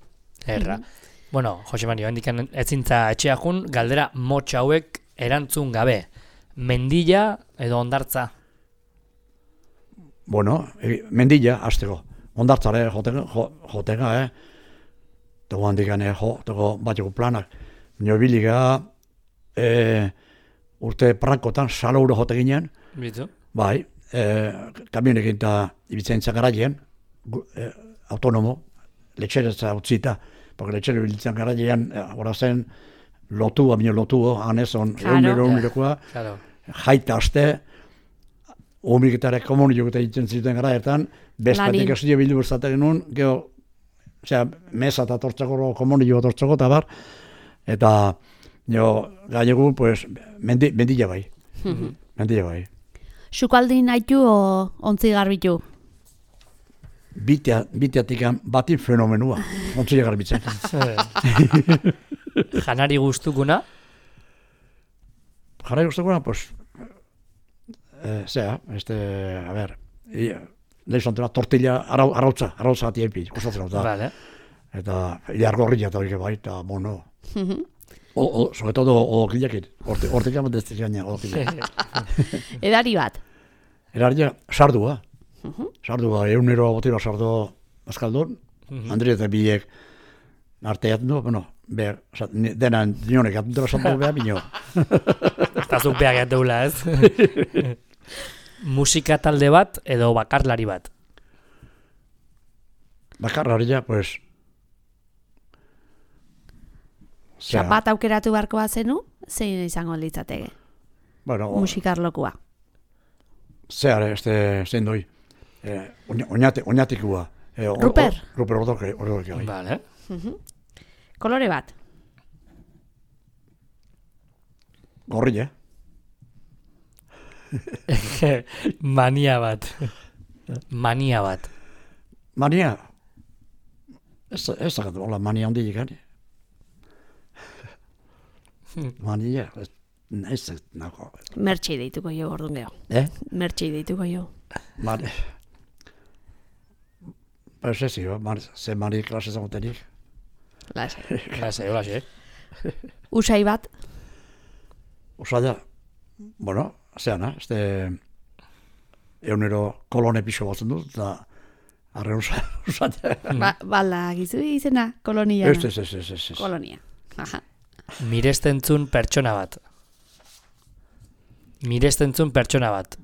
Erra. Bueno, Jose Mari, hendikan ezintza etxea jun, galdera motx hauek erantzun gabe. Mendilla edo ondartza? Bueno, e, mendilla, azteko. Ondartzare jotega, jotega, eh? Tego handikan, eh, jo, tego bateko planak. Nio biliga, e, urte prakotan, salauro jote ginen. Bitu. Bai, e, kamionekin eta ibitzen garailean, e, autonomo, letxeretza utzita, porque letxere bilitzen garailean, hori zen, lotua, bine lotua, anezon, egunero, egunerokoa, jaita aste, homiketare komunio eta itzen zituen garaetan, bezpatik ez dio bildu berzatek genuen, geho, osea, mesa eta tortzako komunio tortzako, eta bar, eta, jo, gailegu, pues, mendi, mendila bai, mendila bai. Sukaldin haitu o ontzi garbitu? Bitea, biteatikan batin fenomenua, ontzi garbitzen. Janari guztukuna? Janari guztukuna, pues, eh, zera, este, a ver, lehizontena, tortilla, arau, arautza, arautza gati epi, kostatzen da. Vale. Eta, ilargorria eta hori bai, eta, bueno, o, o, sobre todo, odokilekin, hortik amat ez gaina, odokilekin. Edari bat? Edari, sardua. Sardua, egunero botira sardu azkaldun, Andri eta biek arteat du, bueno, behar, dena dinonek atentela sartu behar bino. Eta zuk behar gateula, ez? Musika talde bat edo bakarlari bat? Bakarlari ja, pues... Xapat aukeratu beharko bazenu, zein izango litzateke? Bueno, musikarlokua. Zehar, este, zein doi. Eh, oñate, oñatikua. Eh, Ruper? Ruper odoke, odoke bai. Vale. Kolore bat? Gorri, eh? Mania bat. Mania bat. Mania? Ez ez da, hola, mania handi ikan. Mania, ez ez nago. Mertxi deituko jo, orduan geho. Eh? Mertxi deituko jo. Mane. Pues ez zio, ze mani klase zagotenik. Lase. Lase, lase. Usai bat? Usaila, bueno, zeana, este eunero kolone pixo batzen dut, eta arre usaila. Ba, bala, gizu izena, kolonia. Ez, ez, ez, ez, ez. Kolonia. Aha. Mirestentzun pertsona bat. Mirestentzun pertsona bat.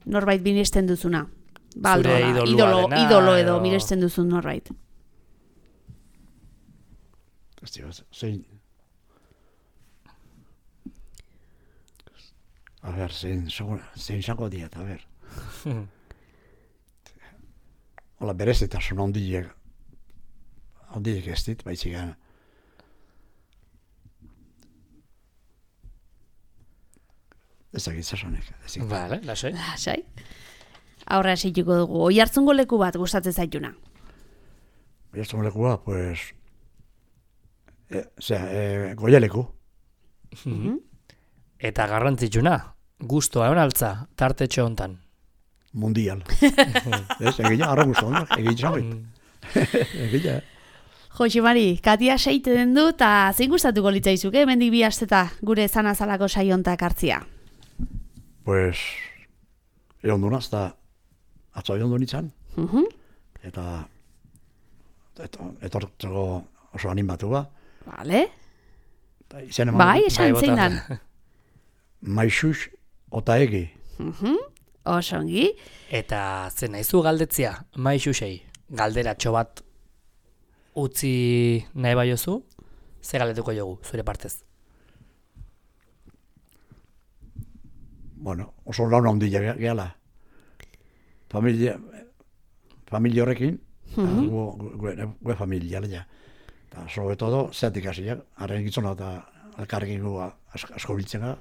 Norbait miresten duzuna. Zure idolo, idolo edo miresten duzun norbait. Ez dio, zein... A ber, zein, zein zango diet, a ber. Hola, berezitasun ondiek, ondiek ez dit, baitzik gana. Ez dakit zasonek. Vale, lasai. Lasai. Aurra esituko dugu. Oihartzungo leku bat gustatzen zaituna? Oihartzungo lekua, pues... E, zera, e, goialeku. Mm-hmm. Eta garrantzitsuna, gustoa egon altza, tartetxe hontan. Mundial. Ez, egila, arra guztu honak, egila zangoit. Egila, Jose Mari, Katia seite den du, eta zein gustatuko litzaizuke, mendik bi asteta gure zanazalako saiontak hartzia? Pues, egon du naz, eta atzo egon du nintzen. Uh-huh. Eta, etortzeko oso animatu ba. Vale. Eman, bai, esan zein dan. Maixux ota egi. Uh-huh. Osongi. Eta zen naizu galdetzia, maixuxei, galderatxo bat utzi nahi baiozu, ze galdetuko jogu, zure partez? Bueno, oso launa handia gehala. Familia, familia horrekin, gue familia, ja. Eta, sobre todo, zeatik hasiak, haren gitzona eta elkarrekin gu asko biltzen gara,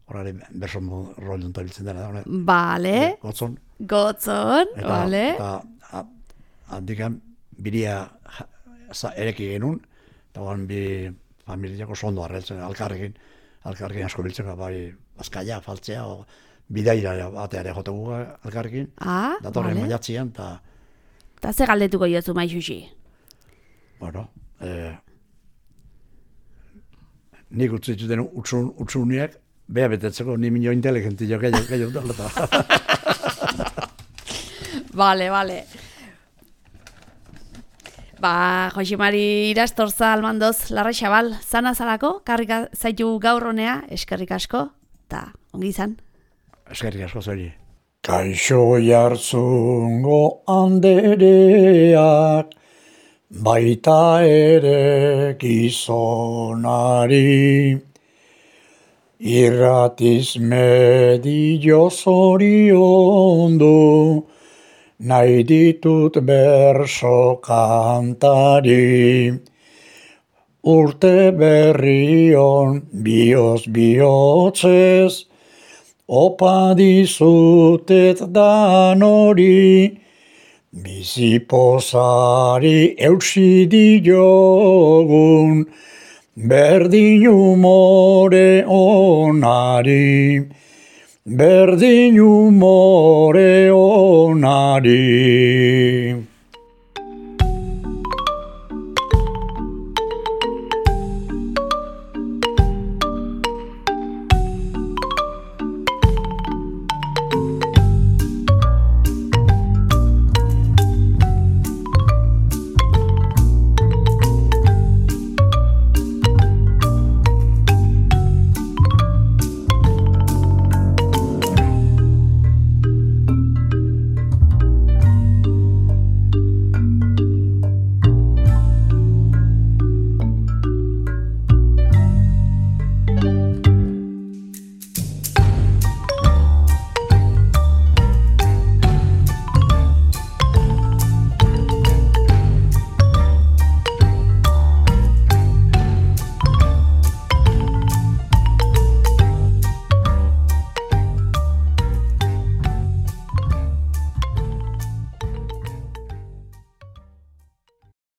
horare berso rol dunta biltzen dena. Bale. Gotzon. Gotzon, bale. Eta, handikan, biria ereki genuen, eta guan bi familiako sondo arretzen, alkarrekin, alkarrekin asko biltzen gara, bai, azkaia, faltzea, o, bidaira bateare jote guga alkarrekin, ah, datorren vale. Maiatzian, eta... Eta ze galdetuko jozu Maixuxi? Bueno, eh, nik utzi zuten utsun, utsuniak, beha betetzeko ni minio inteligentio gehiago daleta. Bale, bale. Ba, Joximari irastorza almandoz, larra xabal, zana zalako, karrika zaitu gaur honea, eskerrik asko, eta ongi izan. Eskerrik asko zeri. Kaixo jartzungo andereak, baita ere gizonari, irratiz medio zoriondu, nahi ditut berso kantari. Urte berrion bioz bihotzez, opa dizutet danori, bizipozari eutsi diogun, berdin umore onari, berdin umore onari.